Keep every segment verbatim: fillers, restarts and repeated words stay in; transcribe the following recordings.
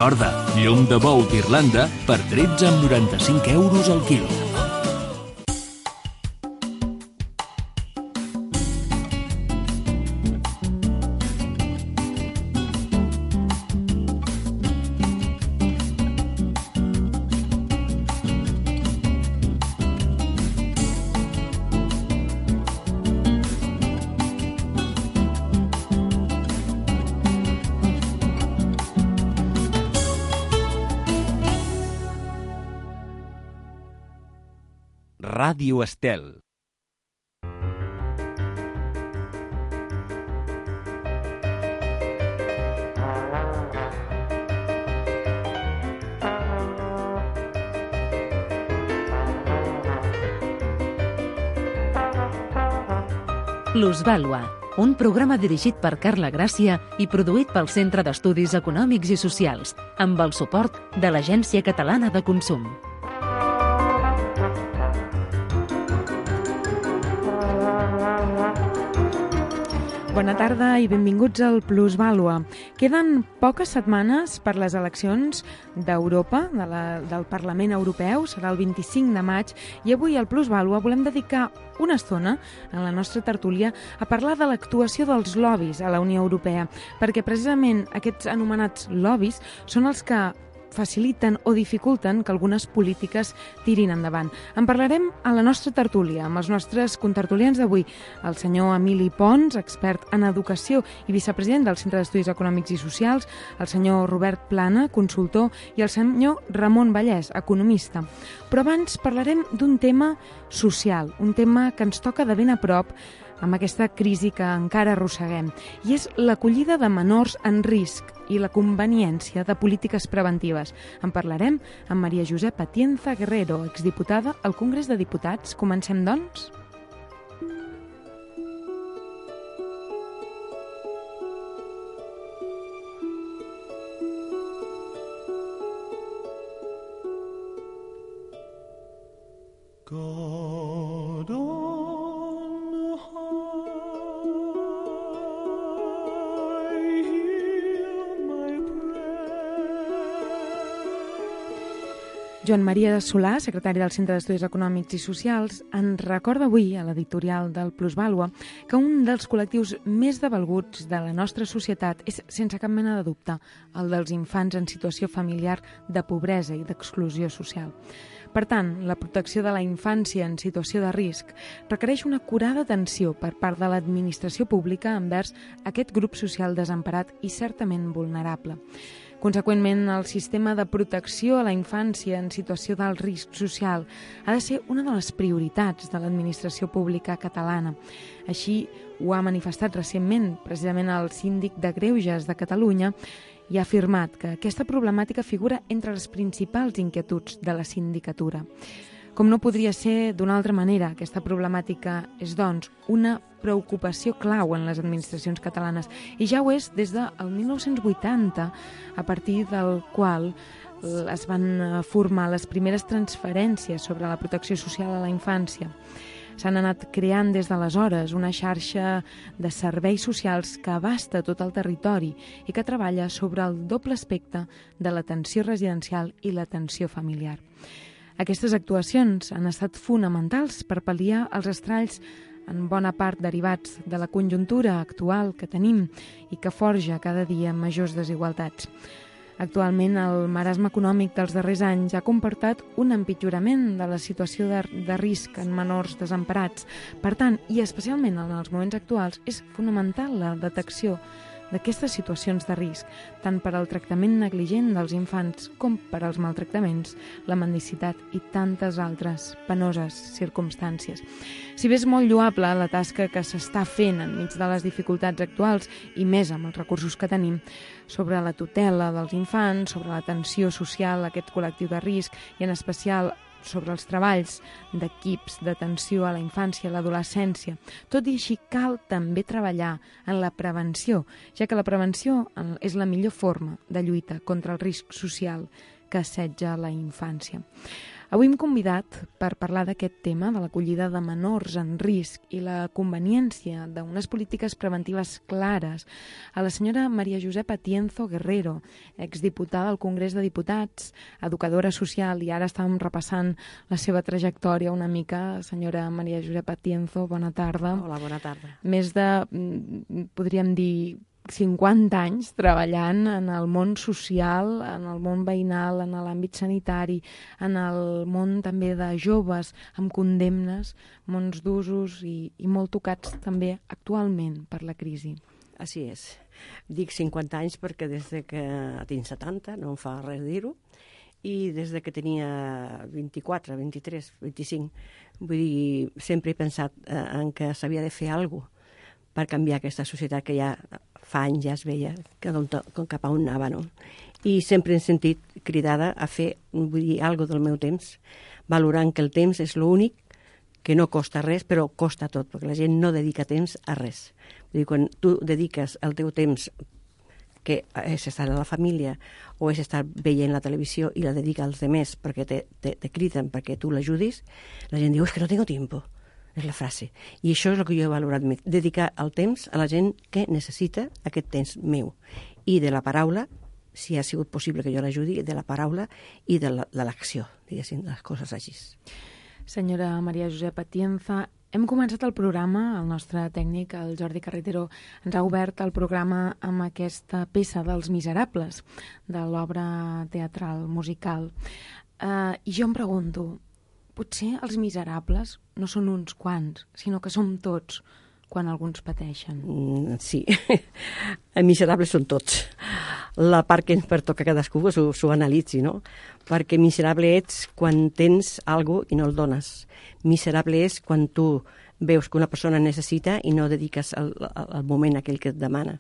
Recorda, llom de bou d'Irlanda per tretze coma noranta-cinc euros al quilo. Ràdio Estel. Plusvàlua, un programa dirigit per Carla Gràcia i produït pel Centre d'Estudis Econòmics i Socials, amb el suport de l'Agència Catalana de Consum. Bona tarda i benvinguts al Plusvàlua. Queden poques setmanes per les eleccions d'Europa, de la, del Parlament Europeu, serà el vint-i-cinc de maig, i avui al Plusvàlua volem dedicar una estona en la nostra tertúlia a parlar de l'actuació dels lobbies a la Unió Europea, perquè precisament aquests anomenats lobbies són els que faciliten o dificulten que algunes polítiques tirin endavant. En parlarem a la nostra tertúlia, amb els nostres contertulians d'avui, el senyor Emili Pons, expert en educació i vicepresident del Centre d'Estudis Econòmics i Socials, el senyor Robert Plana, consultor, i el senyor Ramon Vallès, economista. Però abans parlarem d'un tema social, un tema que ens toca de ben a prop amb aquesta crisi que encara arrosseguem, i és l'acollida de menors en risc i la conveniència de polítiques preventives. En parlarem amb Maria Josepa Atienza Guerrero, exdiputada al Congrés de Diputats. Comencem, doncs? God on high, hear my prayer. Joan Maria Solà, secretari del Centre d'Estudis Econòmics i Socials, ens recorda avui a l'editorial del Plusvàlua que un dels col·lectius més devalguts de la nostra societat és, sense cap mena de dubte, el dels infants en situació familiar de pobresa i d'exclusió social. Per tant, la protecció de la infància en situació de risc requereix una acurada atenció per part de l'administració pública envers aquest grup social desemparat i certament vulnerable. Conseqüentment, el sistema de protecció a la infància en situació d'alt risc social ha de ser una de les prioritats de l'administració pública catalana. Així ho ha manifestat recentment precisament el síndic de Greuges de Catalunya, i ha afirmat que aquesta problemàtica figura entre les principals inquietuds de la sindicatura. Com no podria ser d'una altra manera, aquesta problemàtica és, doncs, una preocupació clau en les administracions catalanes, i ja ho és des del mil nou-cents vuitanta, a partir del qual es van formar les primeres transferències sobre la protecció social a la infància. S'han anat creant des d'aleshores una xarxa de serveis socials que abasta tot el territori i que treballa sobre el doble aspecte de l'atenció residencial i l'atenció familiar. Aquestes actuacions han estat fonamentals per pal·liar els estralls en bona part derivats de la conjuntura actual que tenim i que forja cada dia majors desigualtats. Actualment, el marasme econòmic dels darrers anys ha comportat un empitjorament de la situació de, de risc en menors desemparats. Per tant, i especialment en els moments actuals, és fonamental la detecció d'aquestes situacions de risc, tant per al tractament negligent dels infants com per als maltractaments, la mendicitat i tantes altres penoses circumstàncies. Si bé és molt lloable la tasca que s'està fent enmig de les dificultats actuals i més amb els recursos que tenim, sobre la tutela dels infants, sobre l'atenció social a aquest col·lectiu de risc i en especial sobre els treballs d'equips d'atenció a la infància i a l'adolescència. Tot i així, cal també treballar en la prevenció, ja que la prevenció és la millor forma de lluita contra el risc social que assetja la infància. Avui hem convidat per parlar d'aquest tema, de l'acollida de menors en risc i la conveniència d'unes polítiques preventives clares, a la senyora Maria Josepa Tienzo Guerrero, exdiputada al Congrés de Diputats, educadora social, i ara estàvem repassant la seva trajectòria una mica. Senyora Maria Josepa Tienzo, bona tarda. Hola, bona tarda. Més de, podríem dir, cinquanta anys treballant en el món social, en el món veïnal, en l'àmbit sanitari, en el món també de joves amb condemnes, mons d'usos i, i molt tocats també actualment per la crisi. Així és. Dic cinquanta anys perquè des de que tinc setanta, no em fa res dir-ho, i des de que tenia vint-i-quatre, vint-i-tres, vint-i-cinc, vull dir, sempre he pensat eh, en que s'havia de fer alguna cosa per canviar aquesta societat que ja fa anys ja es veia que cap a on anava, no? I sempre he sentit cridada a fer, vull dir, alguna cosa del meu temps, valorant que el temps és l'únic que no costa res, però costa tot, perquè la gent no dedica temps a res. Vull dir, quan tu dediques el teu temps, que és estar a la família o és estar veient la televisió i la dedica als demés perquè te, te, te criden perquè tu l'ajudis, la gent diu, és que no tengo tiempo. És la frase. I això és el que jo he valorat més, dedicar el temps a la gent que necessita aquest temps meu. I de la paraula, si ha sigut possible que jo l'ajudi, de la paraula i de l'acció, diguéssim, les coses així. Senyora Maria Josepa Tienza, hem començat el programa, el nostre tècnic, el Jordi Carretero, ens ha obert el programa amb aquesta peça dels Miserables, de l'obra teatral musical. Uh, I jo em pregunto, potser els miserables no són uns quants, sinó que som tots quan alguns pateixen. Mm, sí, els miserables són tots. La part que ens pertoca a cadascú s'ho analitzi, no? Perquè miserable ets quan tens alguna cosa i no el dones. Miserable és quan tu veus que una persona necessita i no dediques el, el moment aquell que et demana.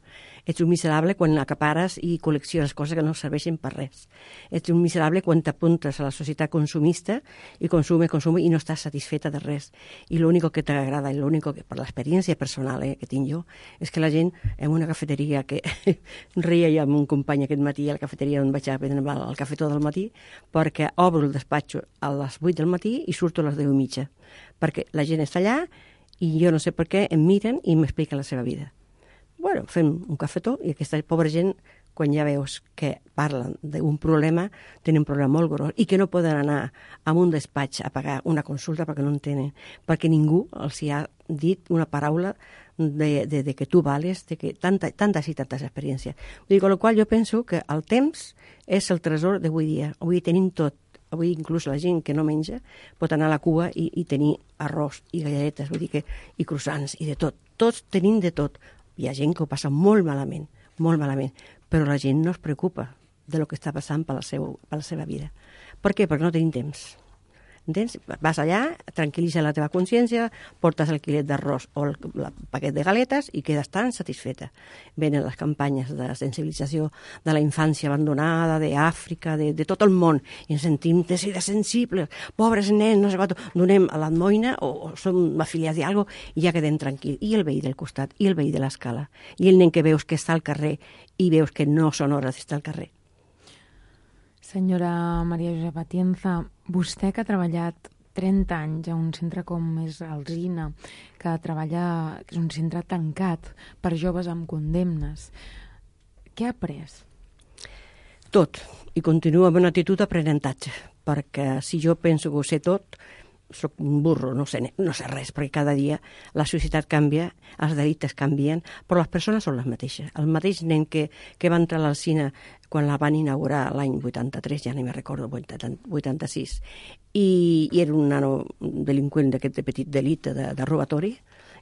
Ets un miserable quan acapares i col·lecciones coses que no serveixen per res. Ets un miserable quan t'apuntes a la societat consumista i consume, consume i no estàs satisfeta de res. I l'únic que t'agrada, i l'únic que, per l'experiència personal eh, que tinc jo, és que la gent en una cafeteria que reia jo amb un company aquest matí a la cafeteria on vaig a prendre el cafè tot el matí, perquè obro el despatx a les vuit del matí i surto a les deu i mitja. Perquè la gent està allà i jo no sé per què em miren i m'expliquen la seva vida. Bueno, fem un cafetó i aquesta pobra gent, quan ja veus que parlen d'un problema, tenen un problema molt gros i que no poden anar a un despatx a pagar una consulta perquè no en tenen, perquè ningú els hi ha dit una paraula de, de, de que tu vales, de que tanta, tantes i tantes experiències. Vull dir, amb la qual jo penso que el temps és el tresor d'avui dia. Avui tenim tot. Avui inclús la gent que no menja pot anar a la cua i, i tenir arròs i galletes, vull dir que, i croissants i de tot. Tots tenim de tot. Hi ha gent que ho passa molt malament, molt malament, però la gent no es preocupa de lo que està passant per la, seu, per la seva vida. Per què? Perquè no tenim temps. Entens? Vas allà, tranquil·litza la teva consciència, portes el quilet d'arròs o el, el paquet de galetes i quedes tan satisfeta. Venen les campanyes de sensibilització de la infància abandonada, d'Àfrica, de, de tot el món, i ens sentim de ser sensibles, pobres nens, no sé què, donem a l'almoina o, o som afiliats i alguna cosa i ja quedem tranquils. I el veí del costat, i el veí de l'escala, i el nen que veus que està al carrer i veus que no són hores d'estar al carrer. Senyora Maria Josepa Tienza, vostè que ha treballat trenta anys a un centre com és Alzina, que treballa, que és un centre tancat per joves amb condemnes, què ha après? Tot, i continuo amb una actitud d'aprenentatge, perquè si jo penso que ho sé tot, soc un burro, no sé, no sé res, perquè cada dia la societat canvia, els delictes canvien, però les persones són les mateixes. El mateix nen que, que va entrar a l'Alzina quan la van inaugurar l'any vuitanta-tres, ja no me'n recordo, vuitanta-sis, i, i era un nano delinqüent d'aquest petit delicte de, de robatori,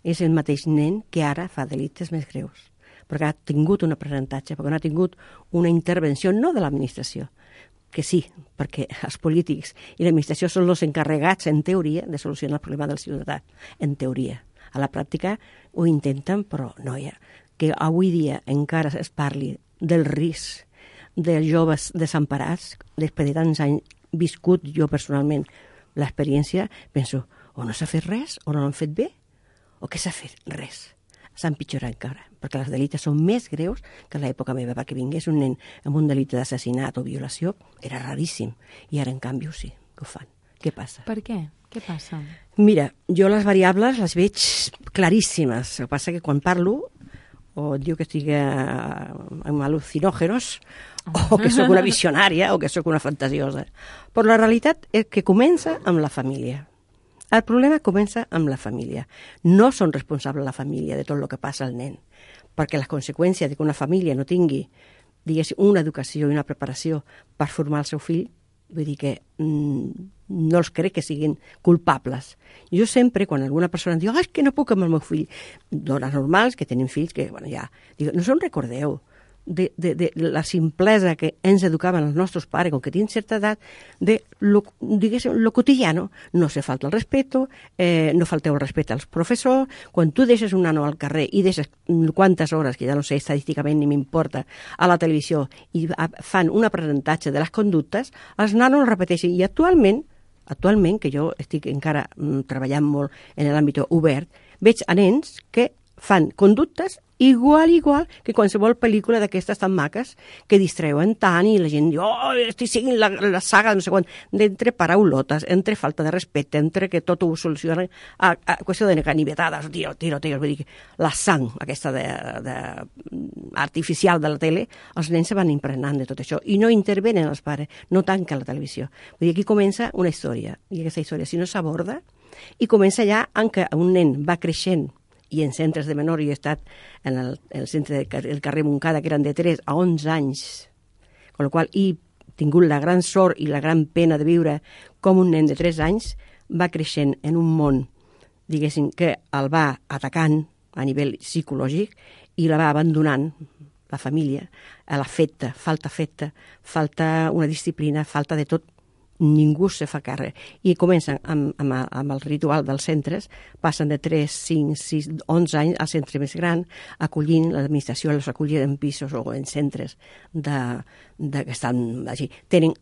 és el mateix nen que ara fa delictes més greus, perquè ha tingut un aprenentatge, perquè no ha tingut una intervenció, no de l'administració, que sí, perquè els polítics i l'administració són els encarregats, en teoria, de solucionar el problema del ciutadà, en teoria. A la pràctica ho intenten, però no hi ha. Que avui dia encara es parli del risc dels joves desemparats, després de tants anys viscut jo personalment l'experiència, penso, o no s'ha fet res, o no l'han fet bé, o què s'ha fet? Res. S'ha empitjorat encara, perquè els delictes són més greus que a l'època meva, perquè vingués un nen amb un delicte d'assassinat o violació, era raríssim, i ara en canvi sí, que ho fan. què passa. Per què? Què passa? Mira, jo les variables les veig claríssimes. El que passa que quan parlo o et diu que estic eh, amb al·lucinògenos o que sóc una visionària o que sóc una fantasiosa. Però la realitat és que comença amb la família. El problema comença amb la família. No són responsables la família de tot el que passa al nen, perquè les conseqüències de que una família no tingui, diguéssim, una educació i una preparació per formar el seu fill, vull dir que mm, no els crec que siguin culpables. Jo sempre, quan alguna persona em diu ah, és que no puc amb el meu fill, dones normals que tenen fills que, bueno, ja, dic, no se'n recordeu de, de, de la simplesa que ens educaven els nostres pares, com que tenen certa edat, de lo, diguéssim, lo quotidiano. No se falta el respeto, eh, no falteu el respecte als professors. Quan tu deixes un nano al carrer i deixes quantes hores, que ja no sé estadísticament ni m'importa, a la televisió i fan un aprenentatge de les conductes, els nanos el repeteixen. I actualment, actualment, que jo estic encara mm, treballant molt en l'àmbit obert, veig a nens que fan conductes igual, igual que qualsevol pel·lícula d'aquestes tan maques que distreuen tant i la gent diu oh, estic seguint la, la saga no sé quan, d'entre paraulotes, entre falta de respecte, entre que tot ho soluciona a, a qüestió de canibetades, tiro, tiro, tiro, vull dir que la sang aquesta de, de, artificial de la tele, els nens se van impregnant de tot això i no intervenen els pares, no tanquen la televisió. Vull dir, aquí comença una història i aquesta història si no s'aborda i comença ja en què un nen va creixent i en centres de menor, jo he estat en el, el centre del carrer Montcada, que eren de tres a onze anys, amb la qual he tingut la gran sort i la gran pena de viure com un nen de tres anys va creixent en un món, diguéssim, que el va atacant a nivell psicològic i la va abandonant, la família, a l'afecte, falta afecte, falta una disciplina, falta de tot, ningú se fa càrrec. I comencen amb, amb, amb el ritual dels centres, passen de tres, cinc, sis, onze anys al centre més gran, acollint, l'administració els acollir en pisos o en centres de, de, que estan així. Tenen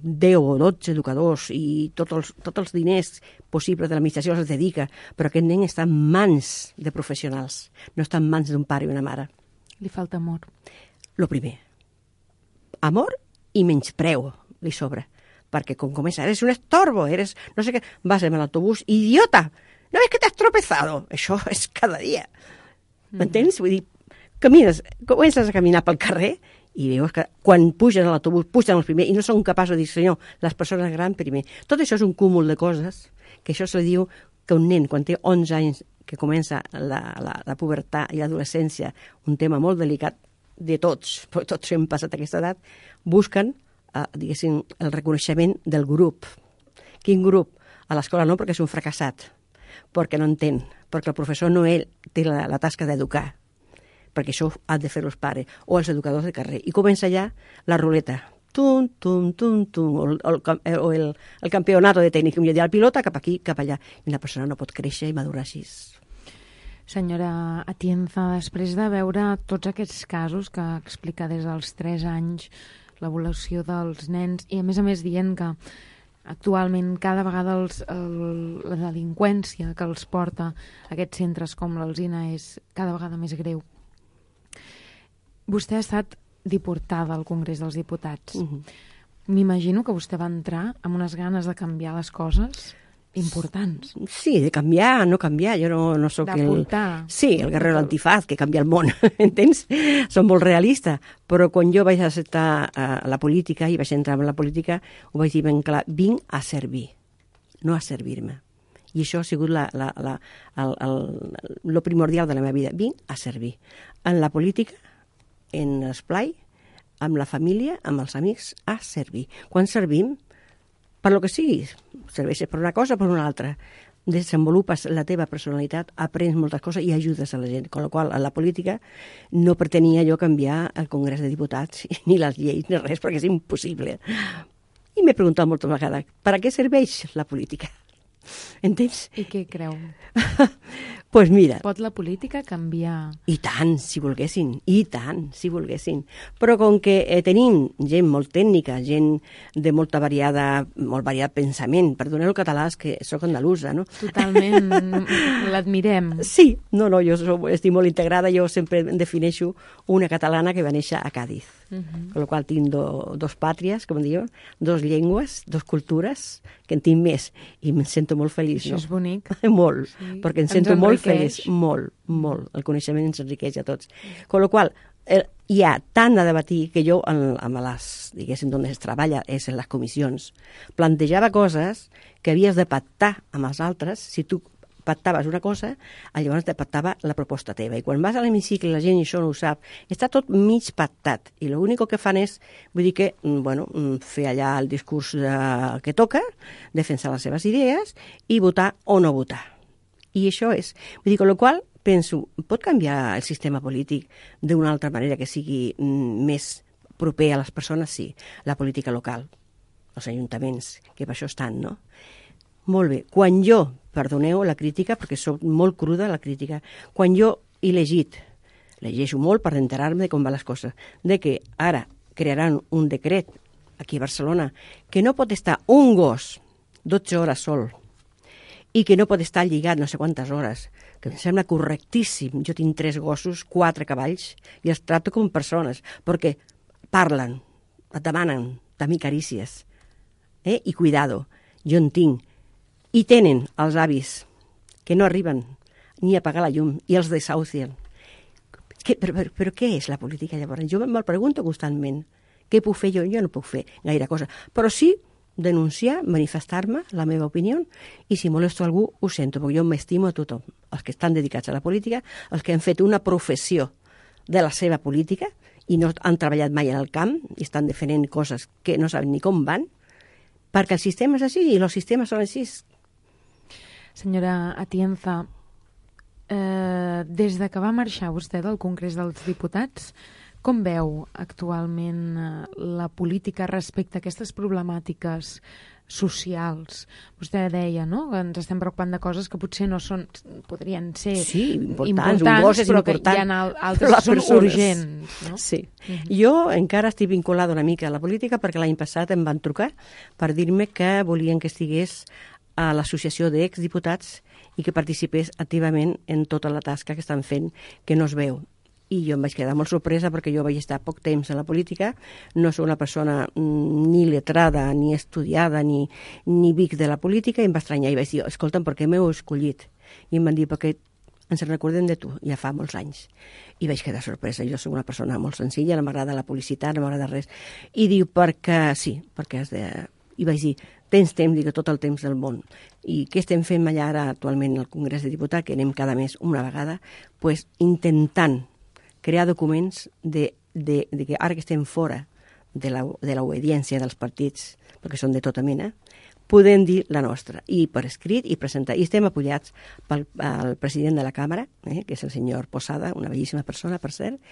deu o dotze educadors i tots els, tots els diners possibles de l'administració els dedica, però aquest nen està en mans de professionals, no està en mans d'un pare i una mare. Li falta amor. Lo primer. Amor i menyspreu li sobra. Perquè com comença, eres un estorbo, eres no sé què, vas amb l'autobús, idiota, no és que t'has tropezado, això és cada dia. M'entens? Vull dir, camines, comences a caminar pel carrer i veus que quan pugen a l'autobús, pugen els primers i no són capaços de dir, senyor, les persones grans primer. Tot això és un cúmul de coses, que això se li diu que un nen, quan té onze anys, que comença la, la, la pubertat i l'adolescència, un tema molt delicat de tots, però tots hem passat aquesta edat, busquen Uh, diguéssim, el reconeixement del grup. Quin grup? A l'escola no, perquè és un fracassat, perquè no entén, perquè el professor no ell té la, la tasca d'educar, perquè això han de fer els pares o els educadors de carrer. I comença ja la ruleta. Tum, tum, tum, tum, o, el, o el, el campionato de tècnic, i el pilota cap aquí, cap allà. I la persona no pot créixer i madurar així. Senyora Atienza, després de veure tots aquests casos que explica des dels tres anys, l'evolució dels nens, i a més a més dient que actualment cada vegada els, el, la delinqüència que els porta a aquests centres com l'Alzina és cada vegada més greu. Vostè ha estat diputada al Congrés dels Diputats. Uh-huh. M'imagino que vostè va entrar amb unes ganes de canviar les coses importants. Sí, de canviar, no canviar. Jo no, no sóc el... D'aportar. Sí, el guerrero antifaz que canvia el món, entens? Som molt realistes, però quan jo vaig acceptar uh, la política i vaig entrar en la política, ho vaig dir ben clar, vinc a servir, no a servir-me. I això ha sigut la, la, la, el, el, lo primordial de la meva vida. Vinc a servir. En la política, en l'esplai, amb la família, amb els amics, a servir. Quan servim, per lo que sigui, serveixes per una cosa o per una altra, desenvolupes la teva personalitat, aprens moltes coses i ajudes a la gent. Con la qual, a la política no pretenia jo canviar el Congrés de Diputats, ni les lleis, ni res, perquè és impossible. I m'he preguntat moltes vegades, per a què serveix la política? Entens? I què creu? pues mira... Pot la política canviar? I tant, si volguessin, i tant, si volguessin. Però com que eh, tenim gent molt tècnica, gent de molta variada, molt variat pensament, perdoneu el català, és que sóc andalusa, no? Totalment, l'admirem. Sí, no, no, jo soc, estic molt integrada, jo sempre em defineixo una catalana que va néixer a Cádiz, uh -huh. Con lo qual tinc do, dos pàtries, com diu, dos llengües, dos cultures, que en tinc més, i em sento molt feliç. Això no? és bonic. Molt, Sí. perquè em Ens sento molt enriqueix. feliç, molt, molt. El coneixement ens enriqueix a tots. Con lo qual, eh, hi ha tant a debatir que jo, en, amb les, diguéssim, on es treballa, és en les comissions, plantejava coses que havies de pactar amb els altres. Si tu pactaves una cosa, llavors te pactava la proposta teva. I quan vas a l'hemicicle, la gent això no ho sap, està tot mig pactat. I l'únic que fan és, vull dir que, bueno, fer allà el discurs de, que toca, defensar les seves idees i votar o no votar. I això és. Vull dir, con lo qual, penso, pot canviar el sistema polític d'una altra manera que sigui mm, més proper a les persones? Sí. La política local, els ajuntaments, que per això estan, no? Molt bé. Quan jo, perdoneu la crítica, perquè sóc molt cruda la crítica, quan jo he llegit, llegeixo molt per enterar-me de com van les coses, de que ara crearan un decret aquí a Barcelona que no pot estar un gos dotze hores sol i que no pot estar lligat no sé quantes hores, que em sembla correctíssim. Jo tinc tres gossos, quatre cavalls, i els trato com persones, perquè parlen, et demanen també carícies, eh? I cuidado, jo en tinc. I tenen els avis que no arriben ni a pagar la llum i els desahucien. Què, però, però, però què és la política llavors? Jo me'l pregunto constantment. Què puc fer jo? Jo no puc fer gaire cosa. Però sí denunciar, manifestar-me, la meva opinió, i si molesto algú, ho sento, perquè jo m'estimo a tothom. Els que estan dedicats a la política, els que han fet una professió de la seva política i no han treballat mai en el camp i estan defendent coses que no saben ni com van, perquè el sistema és així i els sistemes són així. Senyora Atienza, eh, des de que va marxar vostè del Congrés dels Diputats, com veu actualment eh, la política respecte a aquestes problemàtiques socials? Vostè deia, no?, que ens estem preocupant de coses que potser no són, podrien ser sí, importants, importants un gos és però important, que hi ha altres que són persones. urgents. No? Sí. Uh-huh. Jo encara estic vinculada una mica a la política perquè l'any passat em van trucar per dir-me que volien que estigués a l'associació d'exdiputats i que participés activament en tota la tasca que estan fent, que no es veu. I jo em vaig quedar molt sorpresa perquè jo vaig estar poc temps en la política, no soc una persona ni letrada, ni estudiada, ni, ni vic de la política, i em va estranyar i vaig dir, escolta'm, per què m'heu escollit? I em van dir, perquè ens recordem de tu, ja fa molts anys. I vaig quedar sorpresa, jo soc una persona molt senzilla, no m'agrada la publicitat, no m'agrada res. I diu, perquè sí, perquè has de... I vaig dir, tens temps, dic, tot el temps del món. I què estem fent allà ara actualment al Congrés de Diputats, que anem cada mes una vegada, pues, intentant crear documents de, de, de que ara que estem fora de l'obediència dels partits, perquè són de tota mena, podem dir la nostra, i per escrit i presentar. I estem apoyats pel el president de la Càmera, eh, que és el senyor Posada, una bellíssima persona, per cert,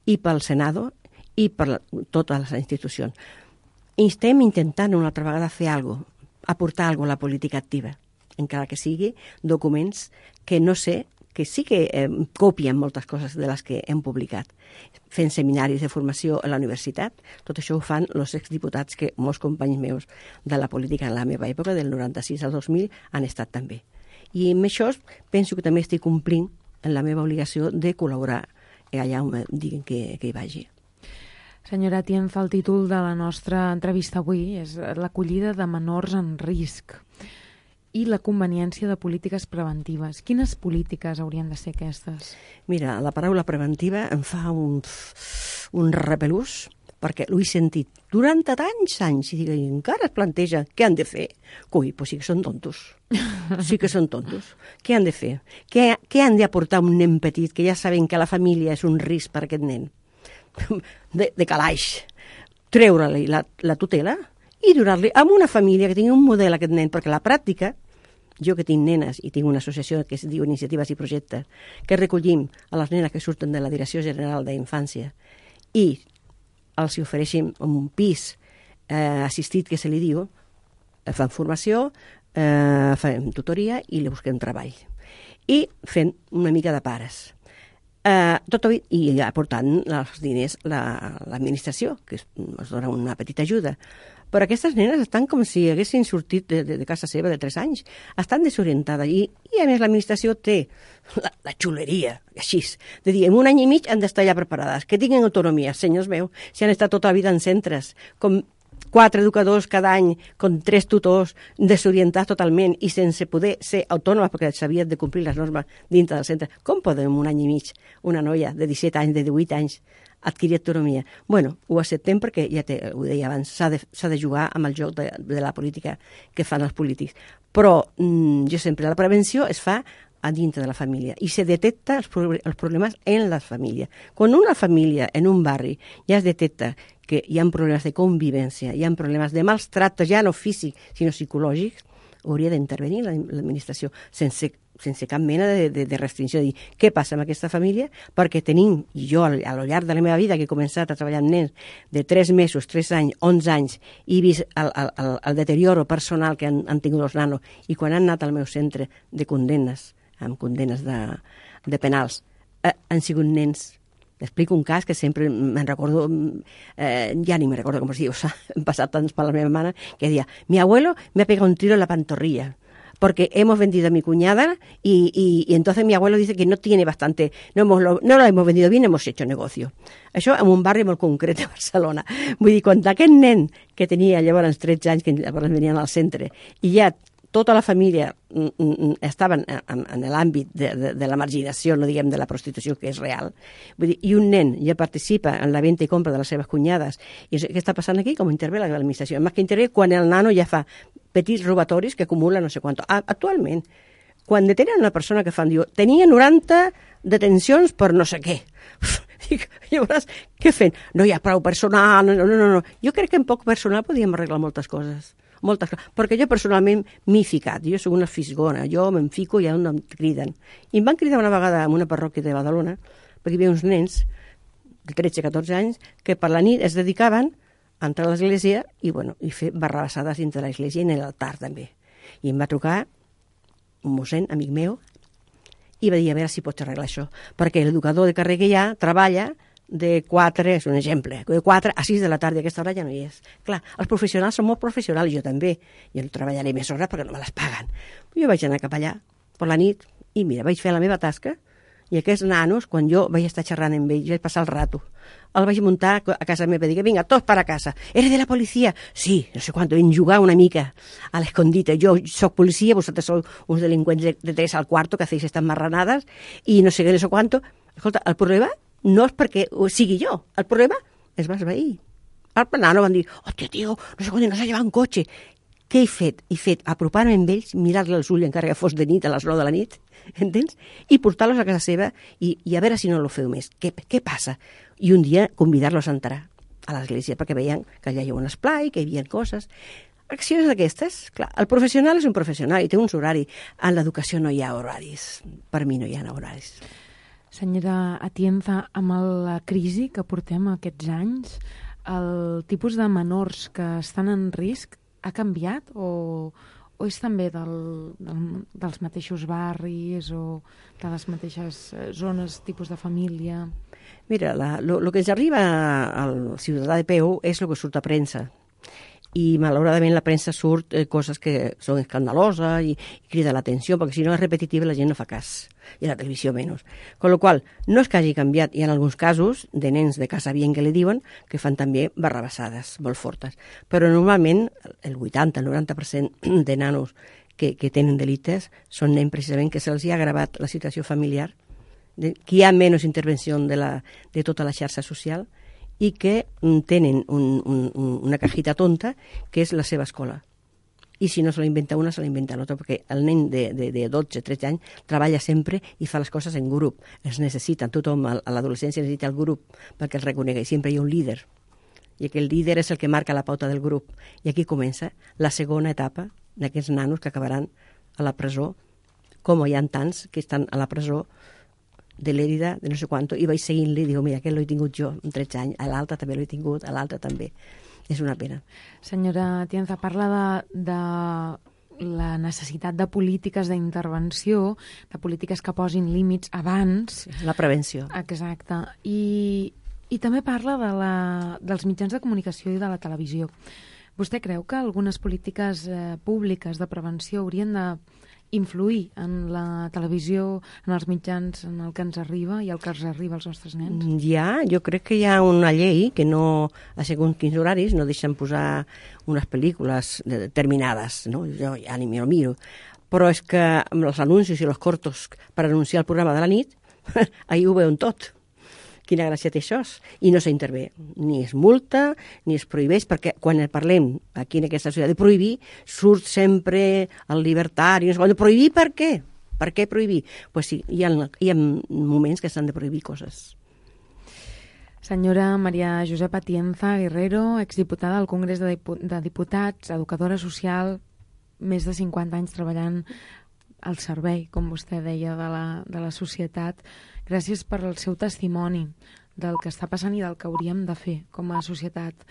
i pel Senado i per la, totes les institucions. I estem intentant una altra vegada fer alguna cosa, aportar alguna cosa a la política activa, encara que sigui documents que no sé, que sí que eh, copien moltes coses de les que hem publicat. Fent seminaris de formació a la universitat, tot això ho fan els exdiputats que molts companys meus de la política en la meva època, del noranta-sis al dos mil, han estat també. I amb això penso que també estic complint en la meva obligació de col·laborar allà on diguin que, que hi vagi. Senyora Atienza, el títol de la nostra entrevista avui és l'acollida de menors en risc i la conveniència de polítiques preventives. Quines polítiques haurien de ser aquestes? Mira, la paraula preventiva em fa un, un repelús, perquè l'ho he sentit durant tants anys i, dic, i encara es planteja què han de fer. Coi, doncs sí que són tontos. Sí que són tontos. Què han de fer? Què, què han d'aportar un nen petit que ja saben que la família és un risc per aquest nen? De, de calaix. Treure-li la, la tutela i donar-li a una família que tingui un model aquest nen, perquè la pràctica, jo que tinc nenes i tinc una associació que es diu Iniciatives i Projectes, que recollim a les nenes que surten de la Direcció General d'Infància i els ofereixen un pis eh, assistit, que se li diu, fan formació, eh, fan tutoria i li busquem treball. i fent una mica de pares. Uh, tot i aportant els diners la, l'administració, que es dona una petita ajuda. Però aquestes nenes estan com si haguessin sortit de, de, de casa seva de tres anys. Estan desorientades i, i a més l'administració té la, la xuleria, així, de dir, en un any i mig han d'estar ja preparades, que tinguin autonomia, senyors meus, si han estat tota la vida en centres, com quatre educadors cada any, con tres tutors, desorientats totalment i sense poder ser autònomes perquè s'havien de complir les normes dintre del centre. Com podem un any i mig una noia de disset anys, de divuit anys, adquirir autonomia? Bueno, ho acceptem perquè, ja te, ho deia abans, s'ha de, s'ha de jugar amb el joc de, de la política que fan els polítics. Però mmm, jo sempre, la prevenció es fa a dintre de la família i se detecta els, pro els problemes en la família. Quan una família en un barri ja es detecta que hi ha problemes de convivència, hi ha problemes de mals tractes, ja no físics, sinó psicològics, hauria d'intervenir l'administració sense, sense cap mena de, de, de restricció, de dir què passa amb aquesta família, perquè tenim, i jo a lo llarg de la meva vida, que he començat a treballar amb nens de tres mesos, tres anys, onze anys, i he vist el, el, el deterioro personal que han, han tingut els nanos, i quan han anat al meu centre de condenes, amb condenes de, de penals, eh, han sigut nens. T'explico un cas que sempre me'n recordo, eh, ya ni me recuerdo cómo se diu, o sea, han pasado tantos para la meva mano, que decía, mi abuelo me ha pegado un tiro en la pantorrilla, porque hemos vendido a mi cuñada y, y, y entonces mi abuelo dice que no tiene bastante, no, hemos, no lo hemos vendido bien, hemos hecho negocio. Això en un barri molt concret de Barcelona. Vull dir, quan aquest nen que tenia llavors tretze anys, que llavors venien al centre, i ja tota la família estaven en, en l'àmbit de, de, de la marginació, no diguem de la prostitució, que és real. Vull dir, i un nen ja participa en la venda i compra de les seves cunyades. I què està passant aquí? Com intervé l'administració? Més que intervé quan el nano ja fa petits robatoris que acumula no sé quant. Actualment, quan detenen una persona que fan, diu, tenia noranta detencions per no sé què. Dic, llavors, què fent? No hi ha prou personal, no, no, no, no. Jo crec que en poc personal podíem arreglar moltes coses. Moltes coses, perquè jo personalment m'hi he ficat, jo soc una fisgona, jo me'n fico i on em criden. I em van cridar una vegada en una parròquia de Badalona, perquè hi havia uns nens de tretze a catorze anys que per la nit es dedicaven a entrar a l'església i, bueno, i fer barrabassades dintre de l'església i en l'altar també. I em va trucar un mossèn, amic meu, i va dir a veure si pots arreglar això, perquè l'educador de carrer que hi ha treballa de quatre, és un exemple, de quatre a sis de la tarda, aquesta hora ja no hi és. Clar, els professionals són molt professionals, jo també. Jo no treballaré més hores perquè no me les paguen. Jo vaig anar cap allà per la nit i mira, vaig fer la meva tasca i aquests nanos, quan jo vaig estar xerrant amb ells, vaig passar el rato, el vaig muntar a casa meva i dic, vinga, tots per a casa. ¿Eres de la policia? Sí, no sé quanto, vam jugar una mica a l'escondite. Jo soc policia, vosaltres sou uns delinqüents de, de tres al cuarto que hacéis estas marranadas i no sé què, no sé quanto. Escolta, el problema no és perquè sigui jo, el problema es va esvair. Al nano van dir, hòstia, tio, no sé quan no s'ha llevat un cotxe. Què he fet? He fet apropar-me amb ells, mirar-li els ulls encara que fos de nit, a les nou de la nit, entens? I portar-los a casa seva i, i a veure si no lo feu més. Què, què passa? I un dia convidar-los a entrar a l'església perquè veien que allà hi havia un esplai, que hi havia coses. Accions d'aquestes, clar, el professional és un professional i té uns horaris. En l'educació no hi ha horaris. Per mi no hi ha horaris. Senyora Atienza, amb la crisi que portem aquests anys, el tipus de menors que estan en risc ha canviat o, o és també del, del, dels mateixos barris o de les mateixes zones, tipus de família? Mira, el que ens arriba al ciutadà de peu és el que surt a premsa. I malauradament la premsa surt eh, coses que són escandaloses i, i crida l'atenció, perquè si no és repetitiva la gent no fa cas, i la televisió menys. Con lo qual, no és que hagi canviat, hi ha alguns casos de nens de casa bien que li diuen que fan també barrabassades molt fortes, però normalment el vuitanta al noranta per cent de nanos que, que tenen delictes són nens precisament que se'ls ha agravat la situació familiar, de, que hi ha menys intervenció de, la, de tota la xarxa social, i que tenen un, un, una cajita tonta que és la seva escola. I si no se l'inventa una, se l'inventa l'altra, perquè el nen de, de, de dotze, tretze anys treballa sempre i fa les coses en grup. Es necessita, tothom a l'adolescència necessita el grup perquè el reconegui. Sempre hi ha un líder. I aquell líder és el que marca la pauta del grup. I aquí comença la segona etapa d'aquests nanos que acabaran a la presó, com hi ha tants que estan a la presó de l'Èrida, de no sé quanto, i vaig seguint-li i dic, mira, aquest l'he tingut jo amb tretze anys, a l'altre també l'he tingut, a l'altre també. És una pena. Senyora Atienza, parla de, de la necessitat de polítiques d'intervenció, de polítiques que posin límits abans. La prevenció. Exacte. I, i també parla de la, dels mitjans de comunicació i de la televisió. Vostè creu que algunes polítiques eh, públiques de prevenció haurien de influir en la televisió, en els mitjans, en el que ens arriba i el que ens arriba als nostres nens? Ja, jo crec que hi ha una llei que no, a segons quins horaris, no deixen posar unes pel·lícules determinades, no? Jo ja ni me lo miro. Però és que amb els anuncis i els cortos per anunciar el programa de la nit, ahir ho veuen tot. Quina gràcia té això. I no s'intervé. Ni es multa, ni es prohibeix, perquè quan parlem aquí en aquesta societat de prohibir, surt sempre el libertari. No sé, prohibir per què? Per què prohibir? Pues sí, hi ha, hi ha moments que s'han de prohibir coses. Senyora Maria Josepa Atienza Guerrero, exdiputada al Congrés de, Dipu de Diputats, educadora social, més de cinquanta anys treballant al servei, com vostè deia, de la, de la societat. Gràcies per el seu testimoni del que està passant i del que hauríem de fer com a societat.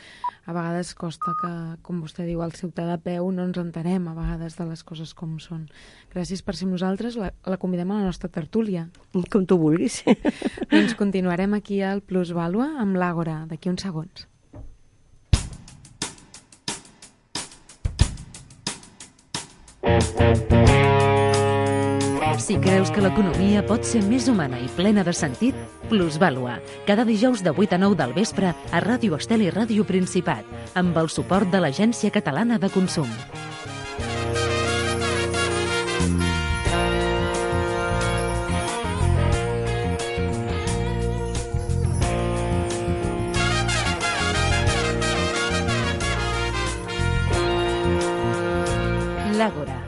A vegades costa que, com vostè diu, al ciutadà a peu no ens entenem a vegades de les coses com són. Gràcies per ser amb nosaltres. La, la convidem a la nostra tertúlia. Com tu vulguis. Doncs continuarem aquí al Plusvàlua amb l'Àgora, d'aquí uns segons. Si creus que l'economia pot ser més humana i plena de sentit, Plusvàlua, cada dijous de vuit a nou del vespre a Ràdio Estel i Ràdio Principat, amb el suport de l'Agència Catalana de Consum. L'Àgora.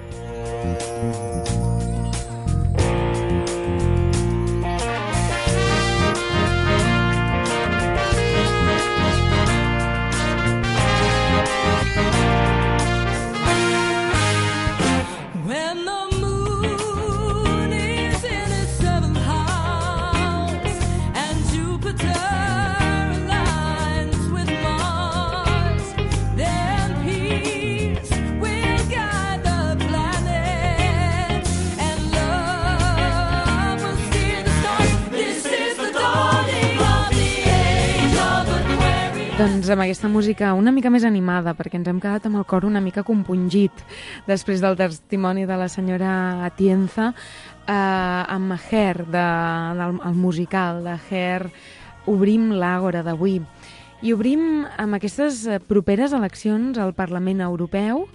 Doncs amb aquesta música una mica més animada, perquè ens hem quedat amb el cor una mica compungit després del testimoni de la senyora Atienza, eh, amb Hair, de, del el musical de Hair, obrim l'Àgora d'avui. I obrim amb aquestes properes eleccions al Parlament Europeu,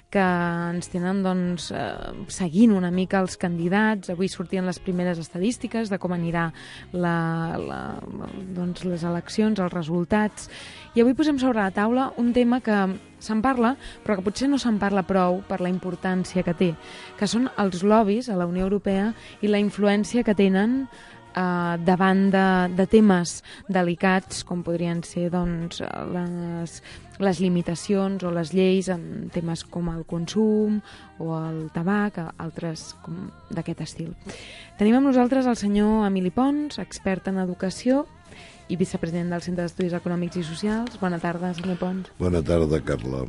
que ens tenen doncs, eh, seguint una mica els candidats. Avui sortien les primeres estadístiques de com anirà la, la, doncs, les eleccions, els resultats. I avui posem sobre la taula un tema que se'n parla, però que potser no se'n parla prou per la importància que té, que són els lobbies a la Unió Europea i la influència que tenen Uh, davant de, de temes delicats com podrien ser doncs, les, les limitacions o les lleis en temes com el consum o el tabac, altres com d'aquest estil. Tenim amb nosaltres el senyor Emili Pons, expert en educació i vicepresident del Centre d'Estudis Econòmics i Socials. Bona tarda, senyor Pons. Bona tarda, Carla.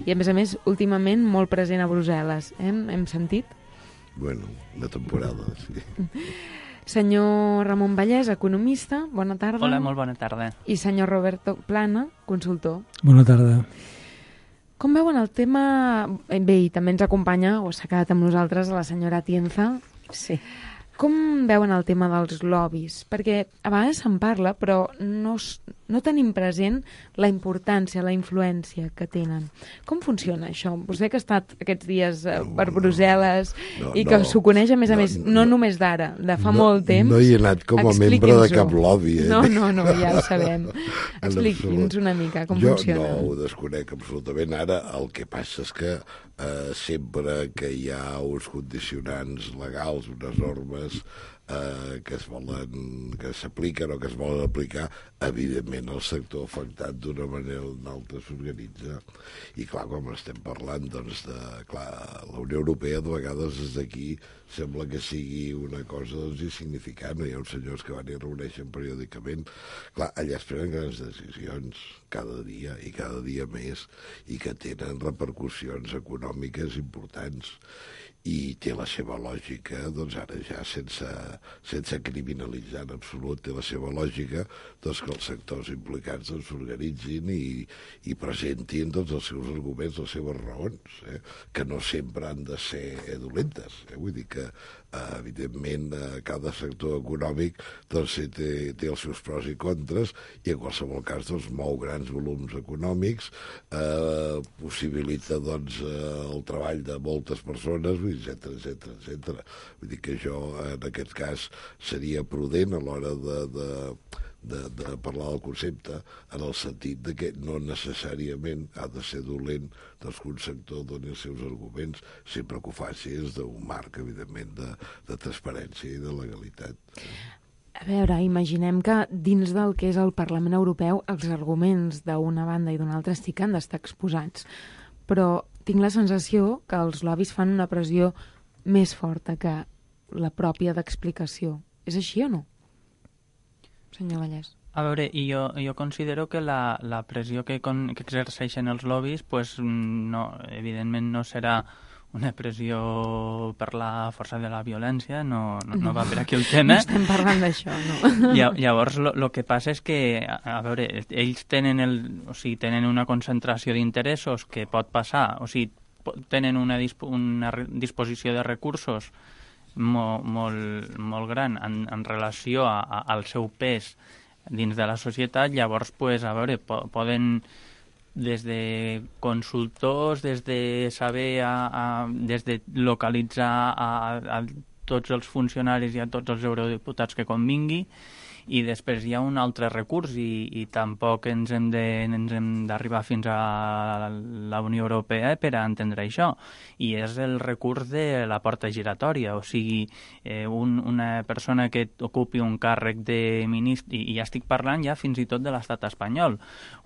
I a més a més, últimament molt present a Brussel·les. Eh? Hem sentit? Bueno, una temporada, sí. Senyor Ramon Vallès, economista, bona tarda. Hola, molt bona tarda. I senyor Roberto Plana, consultor. Bona tarda. Com veuen el tema... Bé, i també ens acompanya, o s'ha quedat amb nosaltres, la senyora Atienza. Sí. Com veuen el tema dels lobbies? Perquè a vegades se'n parla, però no, no tenim present la importància, la influència que tenen. Com funciona això? Vostè que ha estat aquests dies eh, per Brussel·les no, i que no, s'ho coneix, a més a més, no, no només d'ara, de fa no, molt temps. No hi he anat com a membre de cap lobby. Eh? No, no, no, ja ho sabem. Expliqui'ns una mica com jo funciona. Jo no ho desconec absolutament. Ara el que passa és que eh, sempre que hi ha uns condicionants legals, unes normes, eh, que es volen, que s'apliquen o que es volen aplicar, evidentment el sector afectat d'una manera o d'una altra s'organitza. I clar, quan estem parlant, doncs, de, clar, la Unió Europea de vegades des d'aquí sembla que sigui una cosa, doncs, insignificant. Hi ha uns senyors que van i reuneixen periòdicament. Clar, allà es prenen grans decisions cada dia i cada dia més i que tenen repercussions econòmiques importants. I té la seva lògica, doncs ara ja sense, sense criminalitzar en absolut, té la seva lògica doncs, que els sectors implicats doncs, s'organitzin i, i presentin doncs, els seus arguments, les seves raons, eh? que no sempre han de ser dolentes. Eh? Vull dir que, eh, evidentment, eh, cada sector econòmic doncs, té, té els seus pros i contres i en qualsevol cas doncs, mou grans volums econòmics, eh, possibilita doncs, eh, el treball de moltes persones, etcètera, etcètera, etcètera. Vull dir que jo, en aquest cas, seria prudent a l'hora de, de, de, de parlar del concepte, en el sentit de que no necessàriament ha de ser dolent doncs, que un sector doni els seus arguments, sempre que ho faci és d'un marc, evidentment, de, de transparència i de legalitat. A veure, imaginem que dins del que és el Parlament Europeu els arguments d'una banda i d'una altra sí que han d'estar exposats, però tinc la sensació que els lobbies fan una pressió més forta que la pròpia d'explicació. És així o no? Senyor Vallès. A veure, i jo, jo considero que la, la pressió que, con, que exerceixen els lobbies, pues, no, evidentment no serà una pressió per la força de la violència, no, no, no va per aquí el tema. No estem parlant d'això, no. Llavors, el que passa és que, a veure, ells tenen, el, o sigui, tenen una concentració d'interessos que pot passar, o sigui, tenen una, disp una disposició de recursos molt, molt, molt gran en, en relació a, a, al seu pes dins de la societat. Llavors, pues, a veure, po poden des de consultors, des de saber, a, a, des de localitzar a, a tots els funcionaris i a tots els eurodiputats que convingui, i després hi ha un altre recurs i, i tampoc ens hem d'arribar fins a la Unió Europea per a entendre això, i és el recurs de la porta giratòria, o sigui, eh, un, una persona que ocupi un càrrec de ministre, i, i ja estic parlant ja fins i tot de l'estat espanyol,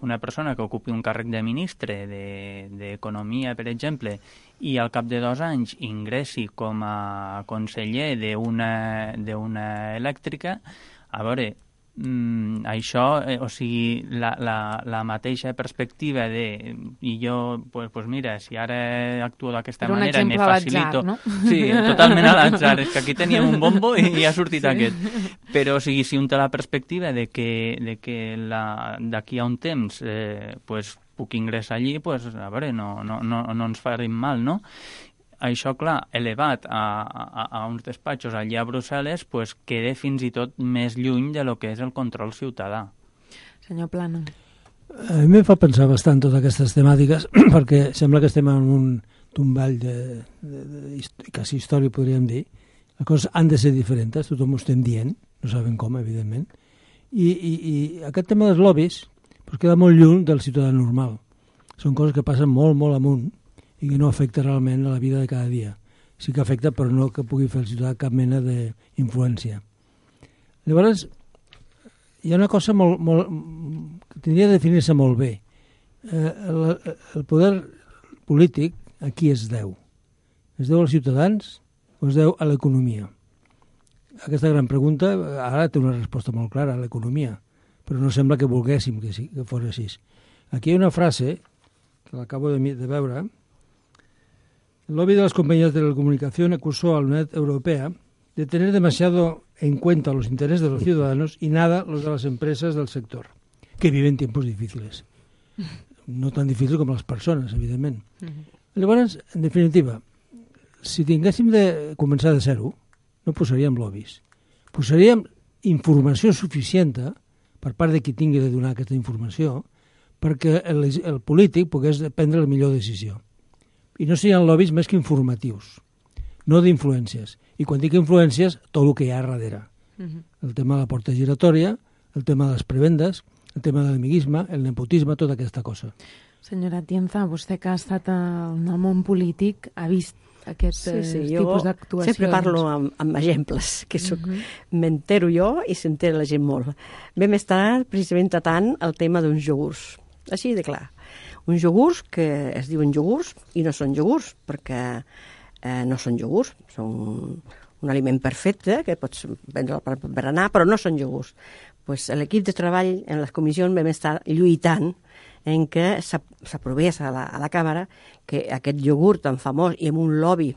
una persona que ocupi un càrrec de ministre d'Economia, de, per exemple, i al cap de dos anys ingressi com a conseller d'una d'una elèctrica. A veure, mm, això, eh, o sigui, la, la, la mateixa perspectiva de, i jo, pues, pues mira, si ara actuo d'aquesta manera i me facilito... No? Sí, totalment a l'atzar, és que aquí teníem un bombo i ha sortit sí. aquest. Però, o sigui, si un té la perspectiva de que, de que d'aquí a un temps eh, pues, puc ingressar allí, pues, a veure, no, no, no, no ens farim mal, no? Això, clar, elevat a, a, a uns despatxos allà a Brussel·les, pues, queda fins i tot més lluny de lo que és el control ciutadà. Senyor Plano. A mi em fa pensar bastant totes aquestes temàtiques, perquè sembla que estem en un tomball de, de, de, de quasi història, podríem dir. Les coses han de ser diferents, tothom ho estem dient, no sabem com, evidentment. I, i, i aquest tema dels lobbies pues, queda molt lluny del ciutadà normal. Són coses que passen molt, molt amunt, i que no afecta realment a la vida de cada dia. Sí que afecta, però no que pugui fer el ciutadà cap mena d'influència. Llavors, hi ha una cosa molt, molt, que tindria de definir-se molt bé. Eh, el, el poder polític a qui es deu? Es deu als ciutadans o es deu a l'economia? Aquesta gran pregunta ara té una resposta molt clara, a l'economia, però no sembla que volguéssim que, sí, que fos així. Aquí hi ha una frase, que l'acabo de, de veure. El lobby de las compañías de telecomunicación acusó a la Unión Europea de tener demasiado en cuenta los intereses de los ciudadanos y nada los de las empresas del sector, que viven tiempos difíciles. No tan difícils com les persones, evidentment. Uh-huh. Llavors, en definitiva, si tinguéssim de començar de zero, no posaríem lobbies. Posaríem informació suficient per part de qui tingui de donar aquesta informació perquè el, el polític pogués prendre la millor decisió. I no serien lobbies més que informatius, no d'influències. I quan dic influències, tot el que hi ha darrere. Uh-huh. El tema de la porta giratòria, el tema de les prebendes, el tema de l'amiguisme, el nepotisme, tota aquesta cosa. Senyora Atienza, vostè que ha estat en el món polític ha vist aquest Sí, sí, eh, jo tipus d'actuacions. sempre parlo amb, amb exemples, que soc, uh -huh. m'entero jo i s'entera la gent molt. Vam estar precisament tratant el tema d'uns iogurts, així de clar. Uns iogurts que es diuen iogurts i no són iogurts, perquè eh, no són iogurts, són un aliment perfecte que pots prendre per berenar, però no són iogurts. Pues, l'equip de treball en les comissions vam estar lluitant en què s'aprovés a, la, a la Càmera que aquest iogurt tan famós i amb un lobby,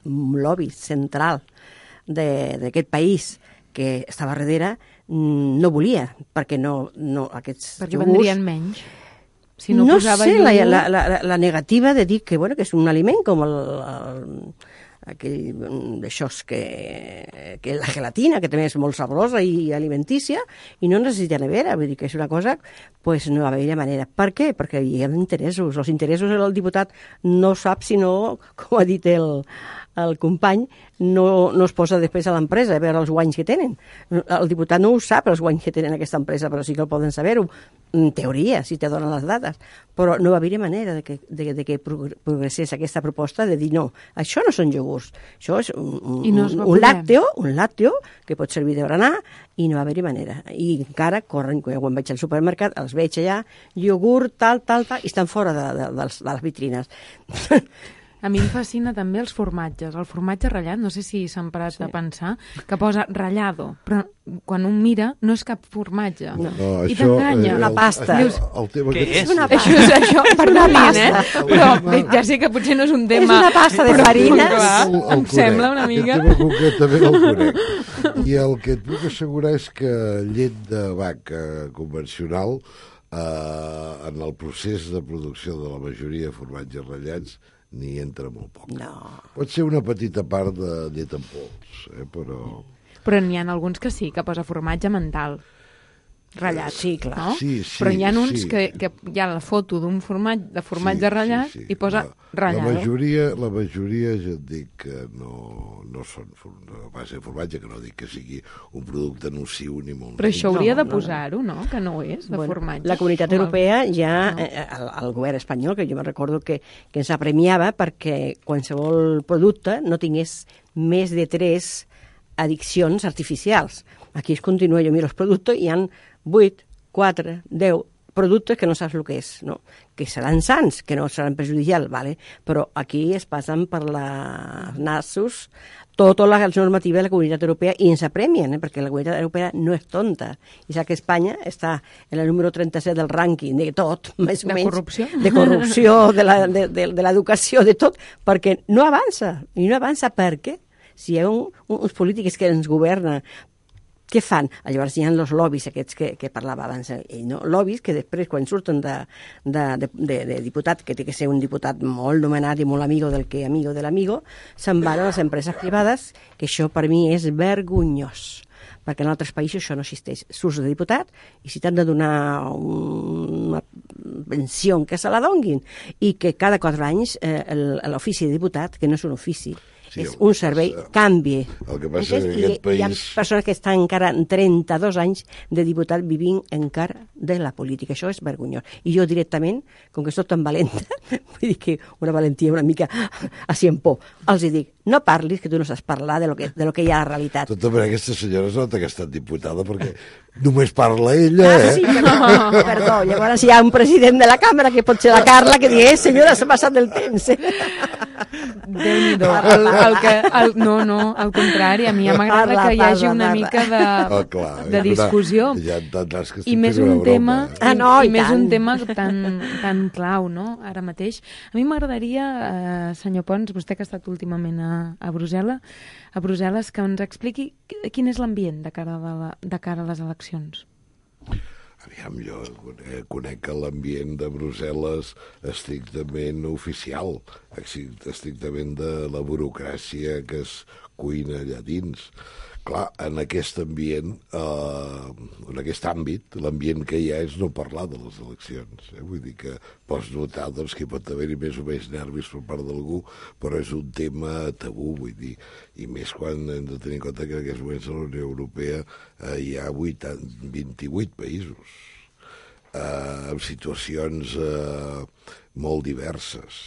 un lobby central d'aquest país que estava darrere, no volia, perquè no, no aquests perquè iogurts... vendrien menys. Si no, no posava sé, iogurt... la, la, la, la negativa de dir que, bueno, que és un aliment com el, el aquell d'aixòs que, que la gelatina, que també és molt saborosa i alimentícia, i no necessita nevera, vull dir que és una cosa, pues no va haver manera. Per què? Perquè hi ha interessos. Els interessos del diputat no sap si no, com ha dit el, el company, no, no es posa després a l'empresa a veure els guanys que tenen. El diputat no ho sap, els guanys que tenen aquesta empresa, però sí que el poden saber-ho, en teoria, si te donen les dades. Però no va haver manera de que, de, de que progressés aquesta proposta de dir no, això no són iogurts, això és un, un, no un, un làcteo, un làcteo que pot servir de berenar i no va haver manera. I encara corren, quan vaig al supermercat, els veig allà, iogurt, tal, tal, tal, i estan fora de, de, de, les, de les vitrines. A mi em fascina també els formatges. El formatge ratllat, no sé si s'han parat sí. de pensar, que posa ratllado, però quan un mira no és cap formatge. No, no I això... t'enganya. Una pasta. El, el tema Què que... és? Una Això és això, perdonin, eh? Però tema- ja sé que potser no és un tema... És una pasta de però, farines. clar, El- el em conec. sembla una mica... Aquest tema concretament el conec. I el que et puc assegurar és que llet de vaca convencional, eh, en el procés de producció de la majoria de formatges ratllats, n'hi entra molt poc. No. Pot ser una petita part de llet en pols, eh, però... Però n'hi ha alguns que sí, que posa formatge mental ratllat, Sí, clar. no? Sí, sí, Però hi ha uns sí. que, que hi ha la foto d'un formatge, de formatge ratllat i posa la, ratllado. La majoria, la majoria ja et dic que no, no són a base de formatge, que no dic que sigui un producte nociu ni molt Però això hauria No, de no, no. posar-ho, no? Que no ho és, de Bueno, formatge. la Comunitat Com el- Europea ja, No. eh, el, el govern espanyol, que jo me recordo que, que ens apremiava perquè qualsevol producte no tingués més de tres addiccions artificials. Aquí es continua, jo miro els productes i hi ha vuit, quatre, deu productes que no saps el que és, no? Que seran sants, que no seran perjudicials, vale? Però aquí es passen per la nassos tota la normativa de la Comunitat Europea i ens apremien, eh? Perquè la Comunitat Europea no és tonta. I sap que Espanya està en el número trenta-set del rànquing de tot, més o De menys. corrupció? De corrupció, de la, de, de, de l'educació, de tot, perquè no avança. I no avança per què? Si hi ha un, uns polítics que ens governen, què fan? Llavors hi ha els lobbies aquests que, que parlava abans ell, no? Lobbies que després, quan surten de, de, de, de, de diputat, que té que ser un diputat molt nomenat i molt amigo del que amigo de l'amigo, se'n van a les empreses privades, que això per mi és vergonyós, perquè en altres països això no existeix. Surts de diputat i si t'han de donar una pensió que se la donguin, i que cada quatre anys eh, l'ofici de diputat, que no és un ofici, Sí, és el un que servei, passa- canvi. el que passa és que I- aquest Hi ha país- persones que estan encara en trenta-dos anys de diputat vivint encara de la política. Això és vergonyós. I jo directament, com que soc tan valenta, vull dir que una valentia una mica així en por, els hi dic, no parlis, que tu no saps parlar de lo que, de lo que hi ha a la realitat. De tota manera, aquesta senyora es nota que ha estat diputada perquè només parla ella, Ah, eh? sí, perdó, perdó. Llavors hi ha un president de la càmera, que pot ser la Carla, que digui, eh, senyora, s'ha passat del temps. Déu-n'hi-do. El, el que, el, no, no, al contrari, a mi ja m'agrada Parla, que hi hagi parla, una parla. mica de, Oh, clar, de és discussió. Una, ja t'entens que I estic més fent una un tema, broma, eh? Ah, no, i, i i més tant. un tema tan, tan clau, no?, ara mateix. A mi m'agradaria, eh, senyor Pons, vostè que ha estat últimament a, a Brussel·les, a Brussel·les, que ens expliqui quin és l'ambient de, cara a la, de cara a les eleccions. Aviam, jo conec, conec que l'ambient de Brussel·les estrictament oficial, estrictament de la burocràcia que es cuina allà dins. Clar, en aquest ambient, eh, en aquest àmbit, l'ambient que hi ha és no parlar de les eleccions. Eh? Vull dir que pots notar doncs, que pot haver-hi més o menys nervis per part d'algú, però és un tema tabú, vull dir, i més quan hem de tenir en compte que en aquests moments a la Unió Europea eh, hi ha vint-i-vuit països eh, amb situacions eh, molt diverses.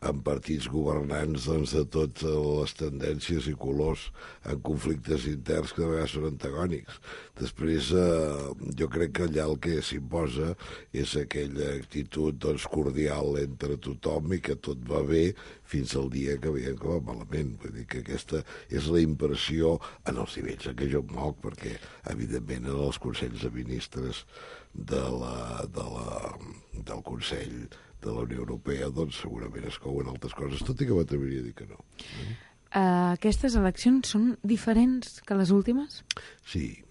en partits governants doncs, de totes les tendències i colors, en conflictes interns que de vegades són antagònics. Després, eh, jo crec que allà el que s'imposa és aquella actitud doncs, cordial entre tothom i que tot va bé fins al dia que veiem que va malament. Vull dir que aquesta és la impressió en els nivells en què jo em moc, perquè, evidentment, en els consells de ministres de la, de la, del Consell de la Unió Europea, doncs segurament es couen altres coses, tot i que m'atreviria a dir que no. Uh, aquestes eleccions són diferents que les últimes? Sí.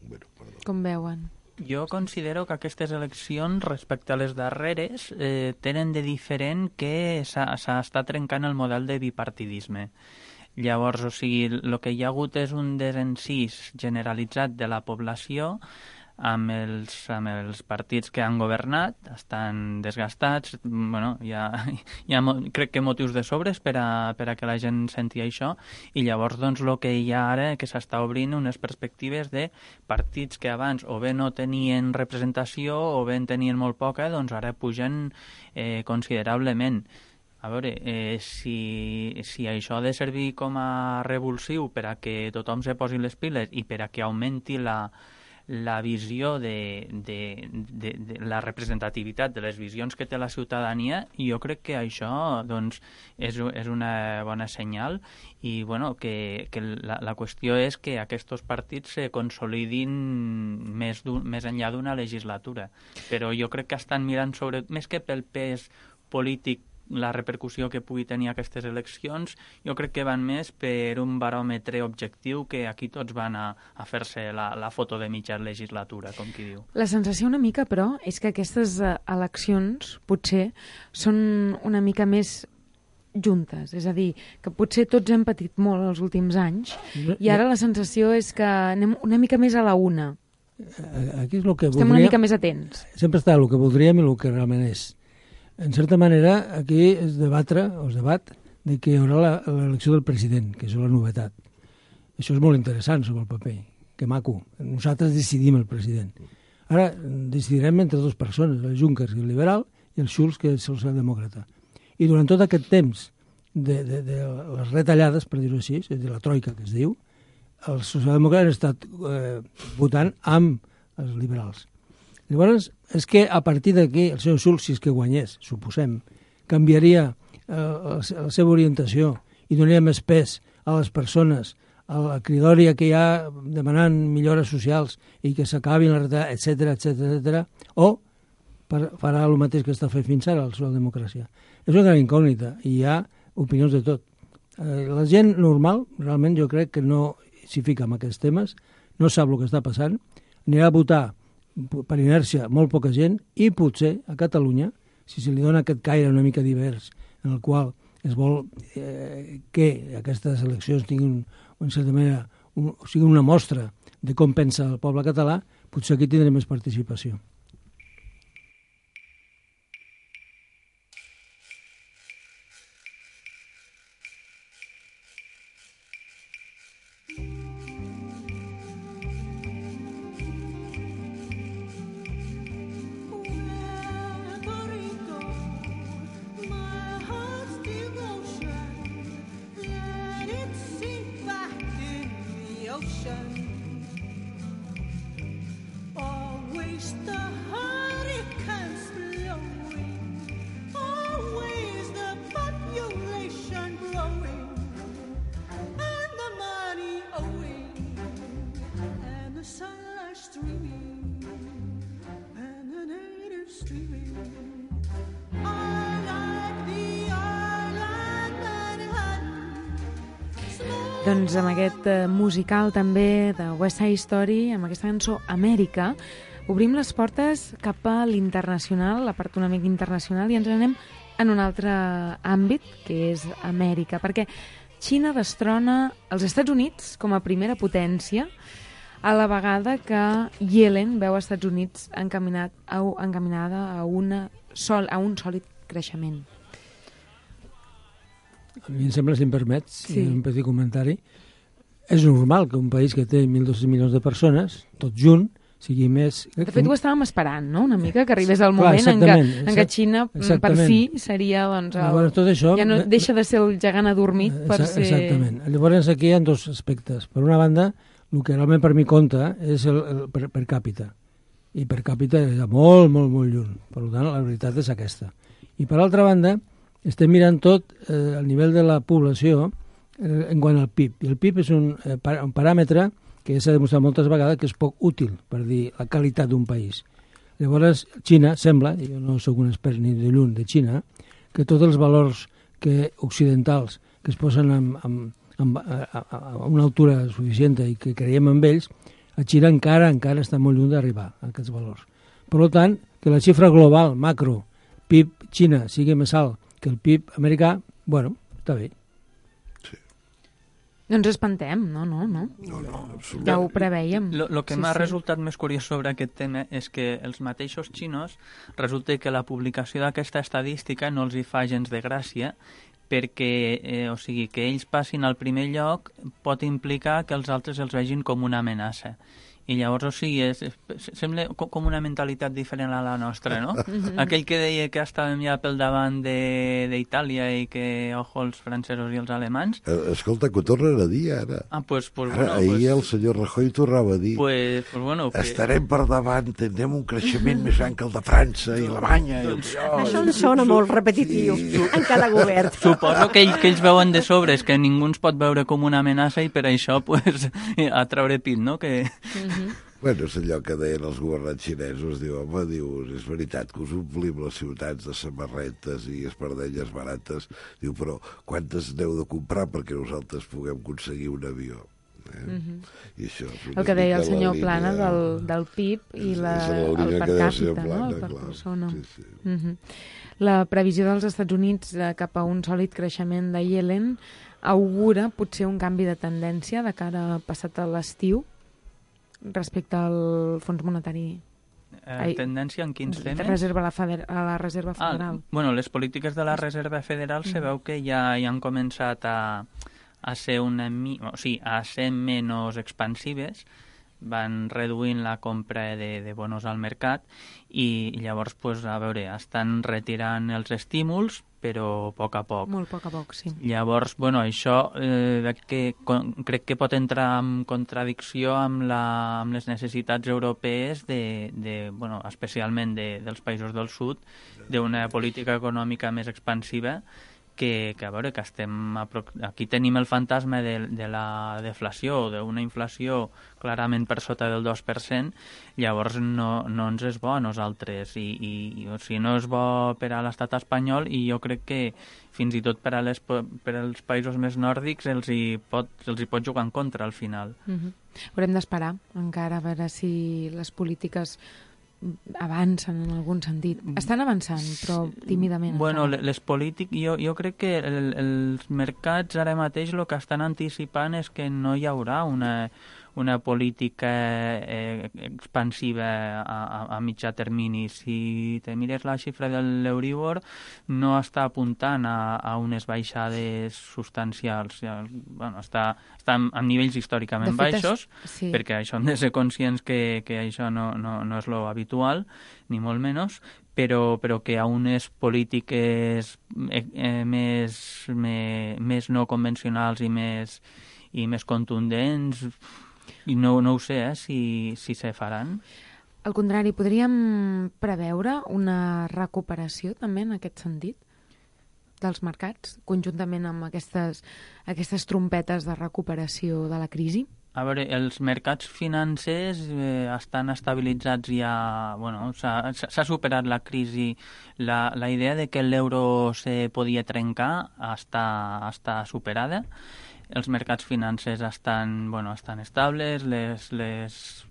Bueno, perdó. Com veuen? Jo considero que aquestes eleccions, respecte a les darreres, eh, tenen de diferent que s'està trencant el model de bipartidisme. Llavors, o sigui, el que hi ha hagut és un desencís generalitzat de la població amb els, amb els partits que han governat, estan desgastats, bueno, hi ha, hi ha crec que motius de sobres per a, per a que la gent senti això, i llavors doncs el que hi ha ara que s'està obrint unes perspectives de partits que abans o bé no tenien representació o bé en tenien molt poca, doncs ara pugen eh, considerablement. A veure, eh, si, si això ha de servir com a revulsiu per a que tothom se posi les piles i per a que augmenti la la visió de, de, de, de la representativitat de les visions que té la ciutadania, i jo crec que això doncs, és, és una bona senyal i bueno, que, que la, la qüestió és que aquests partits se consolidin més, més enllà d'una legislatura. Però jo crec que estan mirant sobre, més que pel pes polític, la repercussió que pugui tenir aquestes eleccions, jo crec que van més per un baròmetre objectiu que aquí tots van a, a fer-se la, la foto de mitja legislatura, com qui diu. La sensació una mica, però, és que aquestes eleccions potser són una mica més juntes, és a dir, que potser tots hem patit molt els últims anys i ara la sensació és que anem una mica més a la una. Aquí és el que Estem voldria... una mica més atents. Sempre està el que voldríem i el que realment és. En certa manera, aquí es debatre, o es debat, de que hi haurà l'elecció del president, que és la novetat. Això és molt interessant sobre el paper, que maco. Nosaltres decidim el president. Ara decidirem entre dues persones, el Juncker, el liberal, i el Schulz, que és el socialdemòcrata. I durant tot aquest temps de, de, de les retallades, per dir-ho així, de la troika que es diu, els socialdemòcrates han estat eh, votant amb els liberals. Llavors, és que a partir d'aquí, el senyor Schulz, si és que guanyés, suposem, canviaria eh, la, la seva orientació i donaria més pes a les persones, a la cridòria que hi ha demanant millores socials i que s'acabin la retallada, etcètera, etcètera, etcètera, o per, farà el mateix que està fent fins ara la socialdemocràcia. És una gran incògnita i hi ha opinions de tot. Eh, la gent normal, realment, jo crec que no s'hi fica en aquests temes, no sap el que està passant, anirà a votar per inèrcia molt poca gent i potser a Catalunya, si se li dona aquest caire una mica divers en el qual es vol eh, que aquestes eleccions tinguin, en certa manera, un, siguin una mostra de com pensa el poble català, potser aquí tindrem més participació. Doncs amb aquest eh, musical també de West Side Story, amb aquesta cançó Amèrica, obrim les portes cap a l'internacional, la part una mica internacional, i ens anem en un altre àmbit, que és Amèrica, perquè Xina destrona els Estats Units com a primera potència a la vegada que Yellen veu als Estats Units encaminat a, encaminada a, una sol, a un sòlid creixement. A mi em sembla, si em permets, sí. un petit comentari, és normal que un país que té mil dos-cents milions de persones, tot junt, sigui més... De fet, ho estàvem esperant, no?, una mica, que arribés el Clar, moment en què, exactament, en què Xina, exactament. per fi, seria, doncs, el, Llavors, tot això, ja no deixa de ser el gegant adormit per Exa- ser... Exactament. Llavors, aquí hi ha dos aspectes. Per una banda, el que realment per mi compta és el, el per, per càpita. I per càpita és molt, molt, molt lluny. Per tant, la veritat és aquesta. I per altra banda, estem mirant tot eh, al nivell de la població eh, en quant al P I B. I el P I B és un, eh, par un paràmetre que s'ha demostrat moltes vegades que és poc útil per dir la qualitat d'un país. Llavors, Xina sembla, i jo no sóc un expert ni de lluny de Xina, que tots els valors que occidentals que es posen amb, amb, amb, a, a, a una altura suficient i que creiem en ells, a Xina encara encara està molt lluny d'arribar a aquests valors. Per tant, que la xifra global, macro, P I B Xina sigui més alt que el P I B americà, bueno, està bé. No ens espantem, no, no, no. No, no, absolutament. Ja ho preveiem. El que Sí, m'ha sí. resultat més curiós sobre aquest tema és que els mateixos xinos resulta que la publicació d'aquesta estadística no els hi fa gens de gràcia perquè, eh, o sigui, que ells passin al primer lloc pot implicar que els altres els vegin com una amenaça. I llavors, o sigui, és, és, sembla com una mentalitat diferent a la nostra, no? Aquell que deia que estàvem ja pel davant d'Itàlia i que, ojo, els francesos i els alemans... Eh, Escolta, que ho tornen a dir, ara. Ah, pues, pues Ara, bueno... ahir pues, el senyor Rajoy tornava a dir pues, pues bueno... Que... estarem per davant, tindrem un creixement més gran que el de França i Alemanya. I el... Això ens sona molt repetitiu en cada govern. Suposo que, ell, que ells veuen de sobre, és que ningú ens pot veure com una amenaça i per això, pues, a treure pit, no? Que... Bueno, és allò que deien els governants xinesos, diu, home, diu, és veritat que us omplim les ciutats de samarretes i espardelles barates, diu, però quantes n'heu de comprar perquè nosaltres puguem aconseguir un avió? Eh? Mm -hmm. I això és una El que deia el mica la senyor línia- Plana del, del P I B i és- la, és la línia el per que deia el senyor càpita, no? Plana, El per clar. persona. Sí, sí. Mm -hmm. La previsió dels Estats Units eh, cap a un sòlid creixement de Yellen augura potser un canvi de tendència de cara a passat a l'estiu respecte al Fons Monetari. Eh, Ai, tendència en quins temes? Reserva a la, feder a la Reserva Ah, Federal. bueno, les polítiques de la Reserva Federal se veu que ja, ja han començat a, a ser una mi... o sigui, a ser menys expansives, van reduint la compra de, de bonos al mercat i llavors, pues, a veure, estan retirant els estímuls, però a poc a poc. Molt a poc a poc, sí. Llavors, bueno, això eh, que, con, crec que pot entrar en contradicció amb, la, amb les necessitats europees, de, de, bueno, especialment de, dels països del sud, d'una política econòmica més expansiva, que, que a veure, que estem a, aquí tenim el fantasma de, de la deflació, d'una inflació clarament per sota del dos per cent, llavors no, no ens és bo a nosaltres, i, i o sigui, no és bo per a l'estat espanyol, i jo crec que fins i tot per, a les, per als països més nòrdics els hi, pot, els hi pot jugar en contra al final. Uh -huh. Haurem d'esperar encara a veure si les polítiques avancen en algun sentit. Estan avançant, però tímidament. Bueno, encara. les polítiques, jo, jo crec que el, els mercats ara mateix el que estan anticipant és que no hi haurà una, una política eh, expansiva a, a, a mitjà termini. Si te mires la xifra de l'Euribor, no està apuntant a, a unes baixades substancials. Ja, bueno, està, està en, en nivells històricament fet, baixos, és, sí. perquè això hem de ser conscients que, que això no, no, no és lo habitual, ni molt menys, però, però que a unes polítiques eh, eh, més, més, més no convencionals i més, i més contundents, i no, no ho sé, eh, si, si se faran. Al contrari, podríem preveure una recuperació també en aquest sentit dels mercats, conjuntament amb aquestes, aquestes trompetes de recuperació de la crisi? A veure, els mercats financers eh, estan estabilitzats ja... Bueno, s'ha superat la crisi. La, la idea de que l'euro se podia trencar està, està superada. Els mercats financers estan, bueno, estan estables, les, les,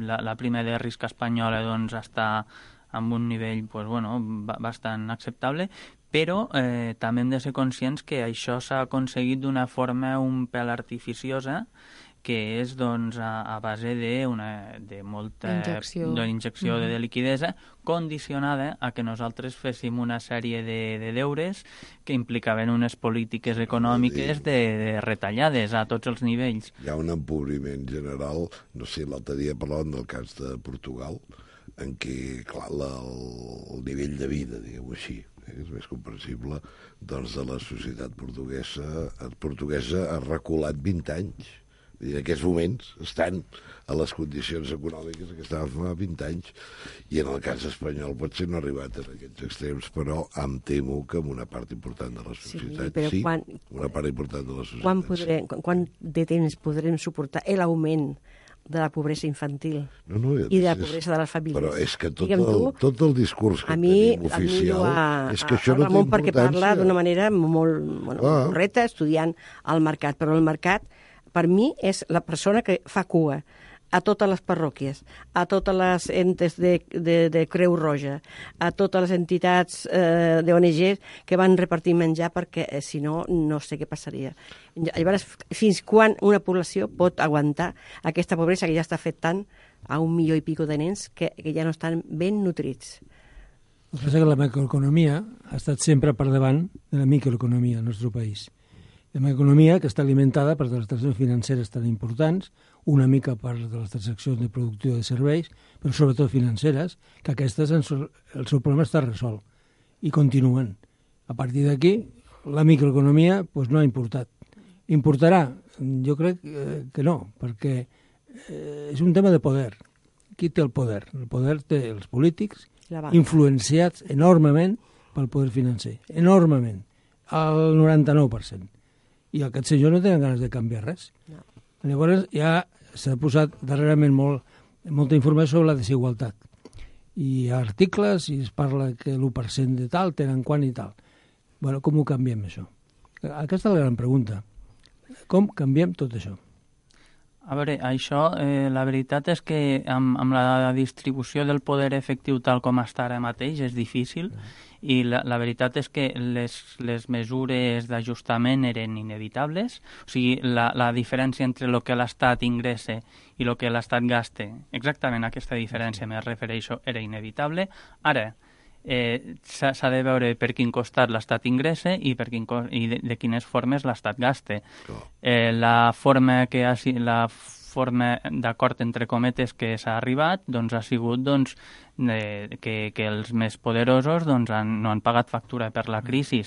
la, la prima de risc espanyola doncs, està amb un nivell pues, bueno, bastant acceptable, però eh, també hem de ser conscients que això s'ha aconseguit d'una forma un pèl artificiosa, que és doncs, a, a base de, una, de molta injecció, de, injecció mm-hmm. de liquidesa condicionada a que nosaltres féssim una sèrie de, de deures que implicaven unes polítiques econòmiques de, de retallades a tots els nivells. Hi ha un empobriment general, no sé, l'altre dia parlàvem del cas de Portugal, en què, clar, la, el, el nivell de vida, diguem-ho així, eh, és més comprensible, doncs de la societat portuguesa, portuguesa ha reculat vint anys. I en aquests moments estan a les condicions econòmiques que estaven fa vint anys, i en el cas espanyol potser no ha arribat a aquests extrems, però em temo que en una part important de la societat sí, sí quan, una part important de la societat quan, podrem, sí. quan de temps podrem suportar l'augment de la pobresa infantil no, no, i de la pobresa de les famílies? Però és que tot, el, tu, tot el discurs que mi, tenim oficial a, és que això no té Ramon, importància. perquè parla d'una manera molt bueno, ah. correcta, estudiant el mercat, però el mercat per mi és la persona que fa cua a totes les parròquies, a totes les entes de, de, de Creu Roja, a totes les entitats eh, d'O N Ges que van repartir menjar perquè, eh, si no, no sé què passaria. Llavors, fins quan una població pot aguantar aquesta pobresa que ja està afectant a un milió i pico de nens que, que ja no estan ben nutrits? El que passa és que la macroeconomia ha estat sempre per davant de la microeconomia al nostre país. La macroeconomia que està alimentada per les transaccions financeres tan importants, una mica per les transaccions de producció de serveis, però sobretot financeres, que aquestes, el seu problema està resolt i continuen. A partir d'aquí, la microeconomia pues, no ha importat. Importarà? Jo crec que no, perquè és un tema de poder. Qui té el poder? El poder té els polítics, influenciats enormement pel poder financer. Enormement. El noranta-nou per cent. I aquests senyors no tenen ganes de canviar res. No. Llavors ja s'ha posat darrerament molt, molta informació sobre la desigualtat. I hi ha articles i es parla que l'u per cent de tal tenen quan i tal. Bueno, com ho canviem, això? Aquesta és la gran pregunta. Com canviem tot això? A veure, això, eh, la veritat és que amb, amb la distribució del poder efectiu tal com està ara mateix és difícil, i la, la veritat és que les, les mesures d'ajustament eren inevitables. O sigui, la, la diferència entre el que l'Estat ingressa i el que l'Estat gasta, exactament aquesta diferència me refereixo, era inevitable. Ara, eh, s'ha de veure per quin costat l'Estat ingressa i, per quin, i de, de quines formes l'Estat gasta. Eh, la forma que ha, la forma d'acord entre cometes que s'ha arribat doncs ha sigut doncs, eh, que, que els més poderosos doncs, han, no han pagat factura per la crisi.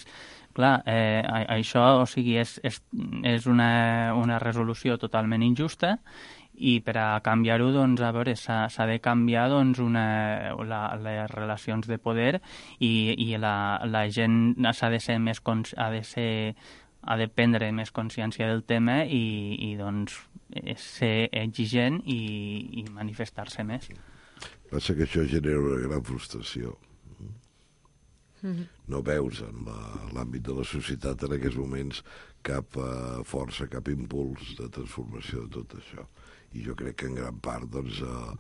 Clar, eh, això o sigui, és, és, és una, una resolució totalment injusta, i per a canviar-ho, doncs, a veure, s'ha de canviar doncs, una, la, les relacions de poder, i, i la, la gent s'ha de ser més ha de ser ha de prendre més consciència del tema i, i doncs, ser exigent i, i manifestar-se més. Passa que això genera una gran frustració. Mm-hmm. No veus en l'àmbit de la societat en aquests moments cap uh, força, cap impuls de transformació de tot això. I jo crec que en gran part doncs, uh,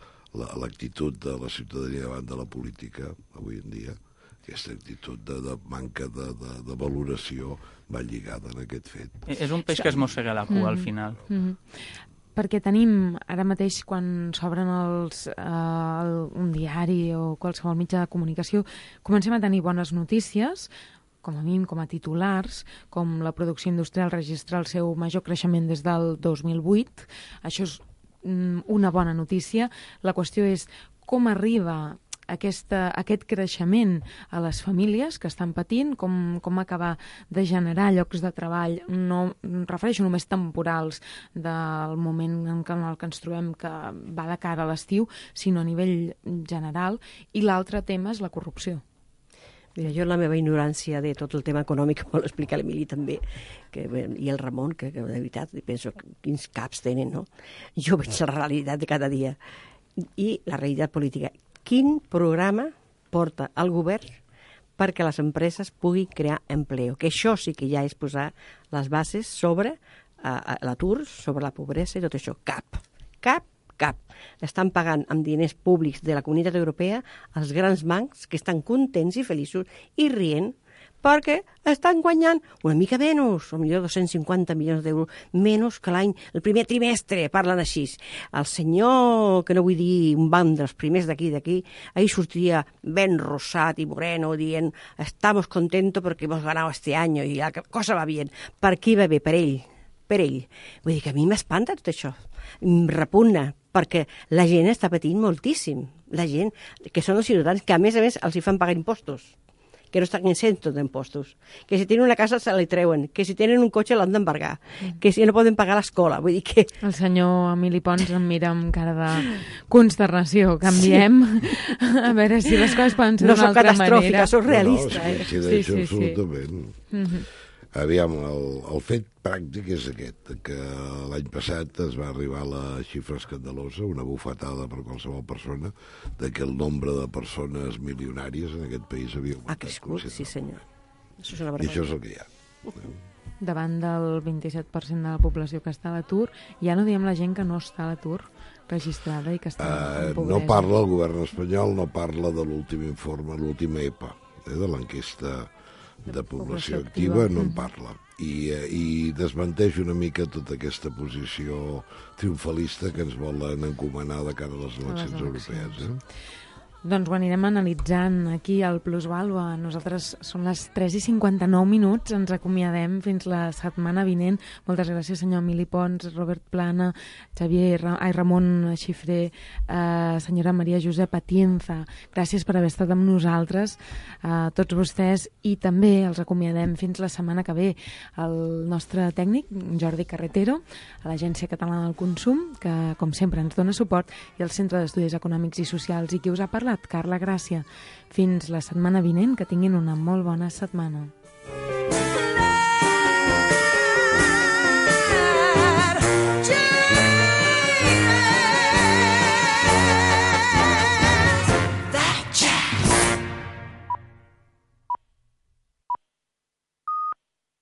l'actitud de la ciutadania davant de la política avui en dia, aquesta actitud de, de manca de, de, de valoració va lligada en aquest fet. És un peix que es mossega la cua mm-hmm. al final. Mm-hmm. Perquè tenim, ara mateix, quan s'obren els, eh, el, un diari o qualsevol mitjà de comunicació, comencem a tenir bones notícies, com a mínim com a titulars, com la producció industrial registra el seu major creixement des del dos mil vuit. Això és mm, una bona notícia. La qüestió és com arriba Aquesta, aquest creixement a les famílies que estan patint, com, com acabar de generar llocs de treball, no em refereixo només temporals del moment en què, en el que ens trobem que va de cara a l'estiu, sinó a nivell general, i l'altre tema és la corrupció. Mira, jo la meva ignorància de tot el tema econòmic, vol explicar l'Emili també, que, i el Ramon, que, que de veritat penso quins caps tenen, no? Jo veig la realitat de cada dia i la realitat política. Quin programa porta el govern perquè les empreses puguin crear empleo? Que això sí que ja és posar les bases sobre uh, l'atur, sobre la pobresa i tot això. Cap, cap, cap. Estan pagant amb diners públics de la Comunitat Europea els grans bancs que estan contents i feliços i rient perquè estan guanyant una mica menys, o millor dos-cents cinquanta milions d'euros menys que l'any, el primer trimestre, parlen així. El senyor, que no vull dir un banc dels primers d'aquí, d'aquí, ahí sortia ben rosat i moreno, dient, estamos contentos porque hemos ganado este año y la cosa va bien. Per qui va bé? Per ell. Per ell. Vull dir que a mi m'espanta tot això. Em repugna, perquè la gent està patint moltíssim. La gent, que són els ciutadans, que a més a més els hi fan pagar impostos, que no estan exentos d'impostos, que si tenen una casa se li treuen, que si tenen un cotxe l'han d'embargar, mm. que si no poden pagar l'escola. Vull dir que... El senyor Emili Pons em mira amb cara de consternació. Canviem, sí. A veure si les coses poden ser no d'una altra manera. No soc catastròfica, soc realista. No, no, eh? sí, sí, sí, absolutament. Sí. Mm-hmm. Aviam, el, el fet pràctic és aquest, que l'any passat es va arribar a la xifra escandalosa, una bufetada per qualsevol persona, de que el nombre de persones milionàries en aquest país havia augmentat. Ha crescut, sí senyor. Això és una I això és el que hi ha. Davant del vint-i-set per cent de la població que està a l'atur, ja no diem la gent que no està a l'atur registrada i que està uh, en pobresa. No parla el govern espanyol, no parla de l'últim informe, l'última E P A, eh, de l'enquesta de població activa, no en parla. I, i desmenteix una mica tota aquesta posició triomfalista que ens volen encomanar de cara a les eleccions, a les eleccions. europees. Eh? Doncs ho anirem analitzant aquí al Plusvàlua. Nosaltres són les tres i cinquanta-nou minuts, ens acomiadem fins la setmana vinent. Moltes gràcies, senyor Emili Pons, Robert Plana, Xavier, ai, Ramon Xifré, eh, senyora Maria Josep Atienza. Gràcies per haver estat amb nosaltres, eh, tots vostès, i també els acomiadem fins la setmana que ve. El nostre tècnic, Jordi Carretero, a l'Agència Catalana del Consum, que com sempre ens dona suport, i el Centre d'Estudis Econòmics i Socials, i qui us ha parlat, Carla Gràcia. Fins la setmana vinent, que tinguin una molt bona setmana.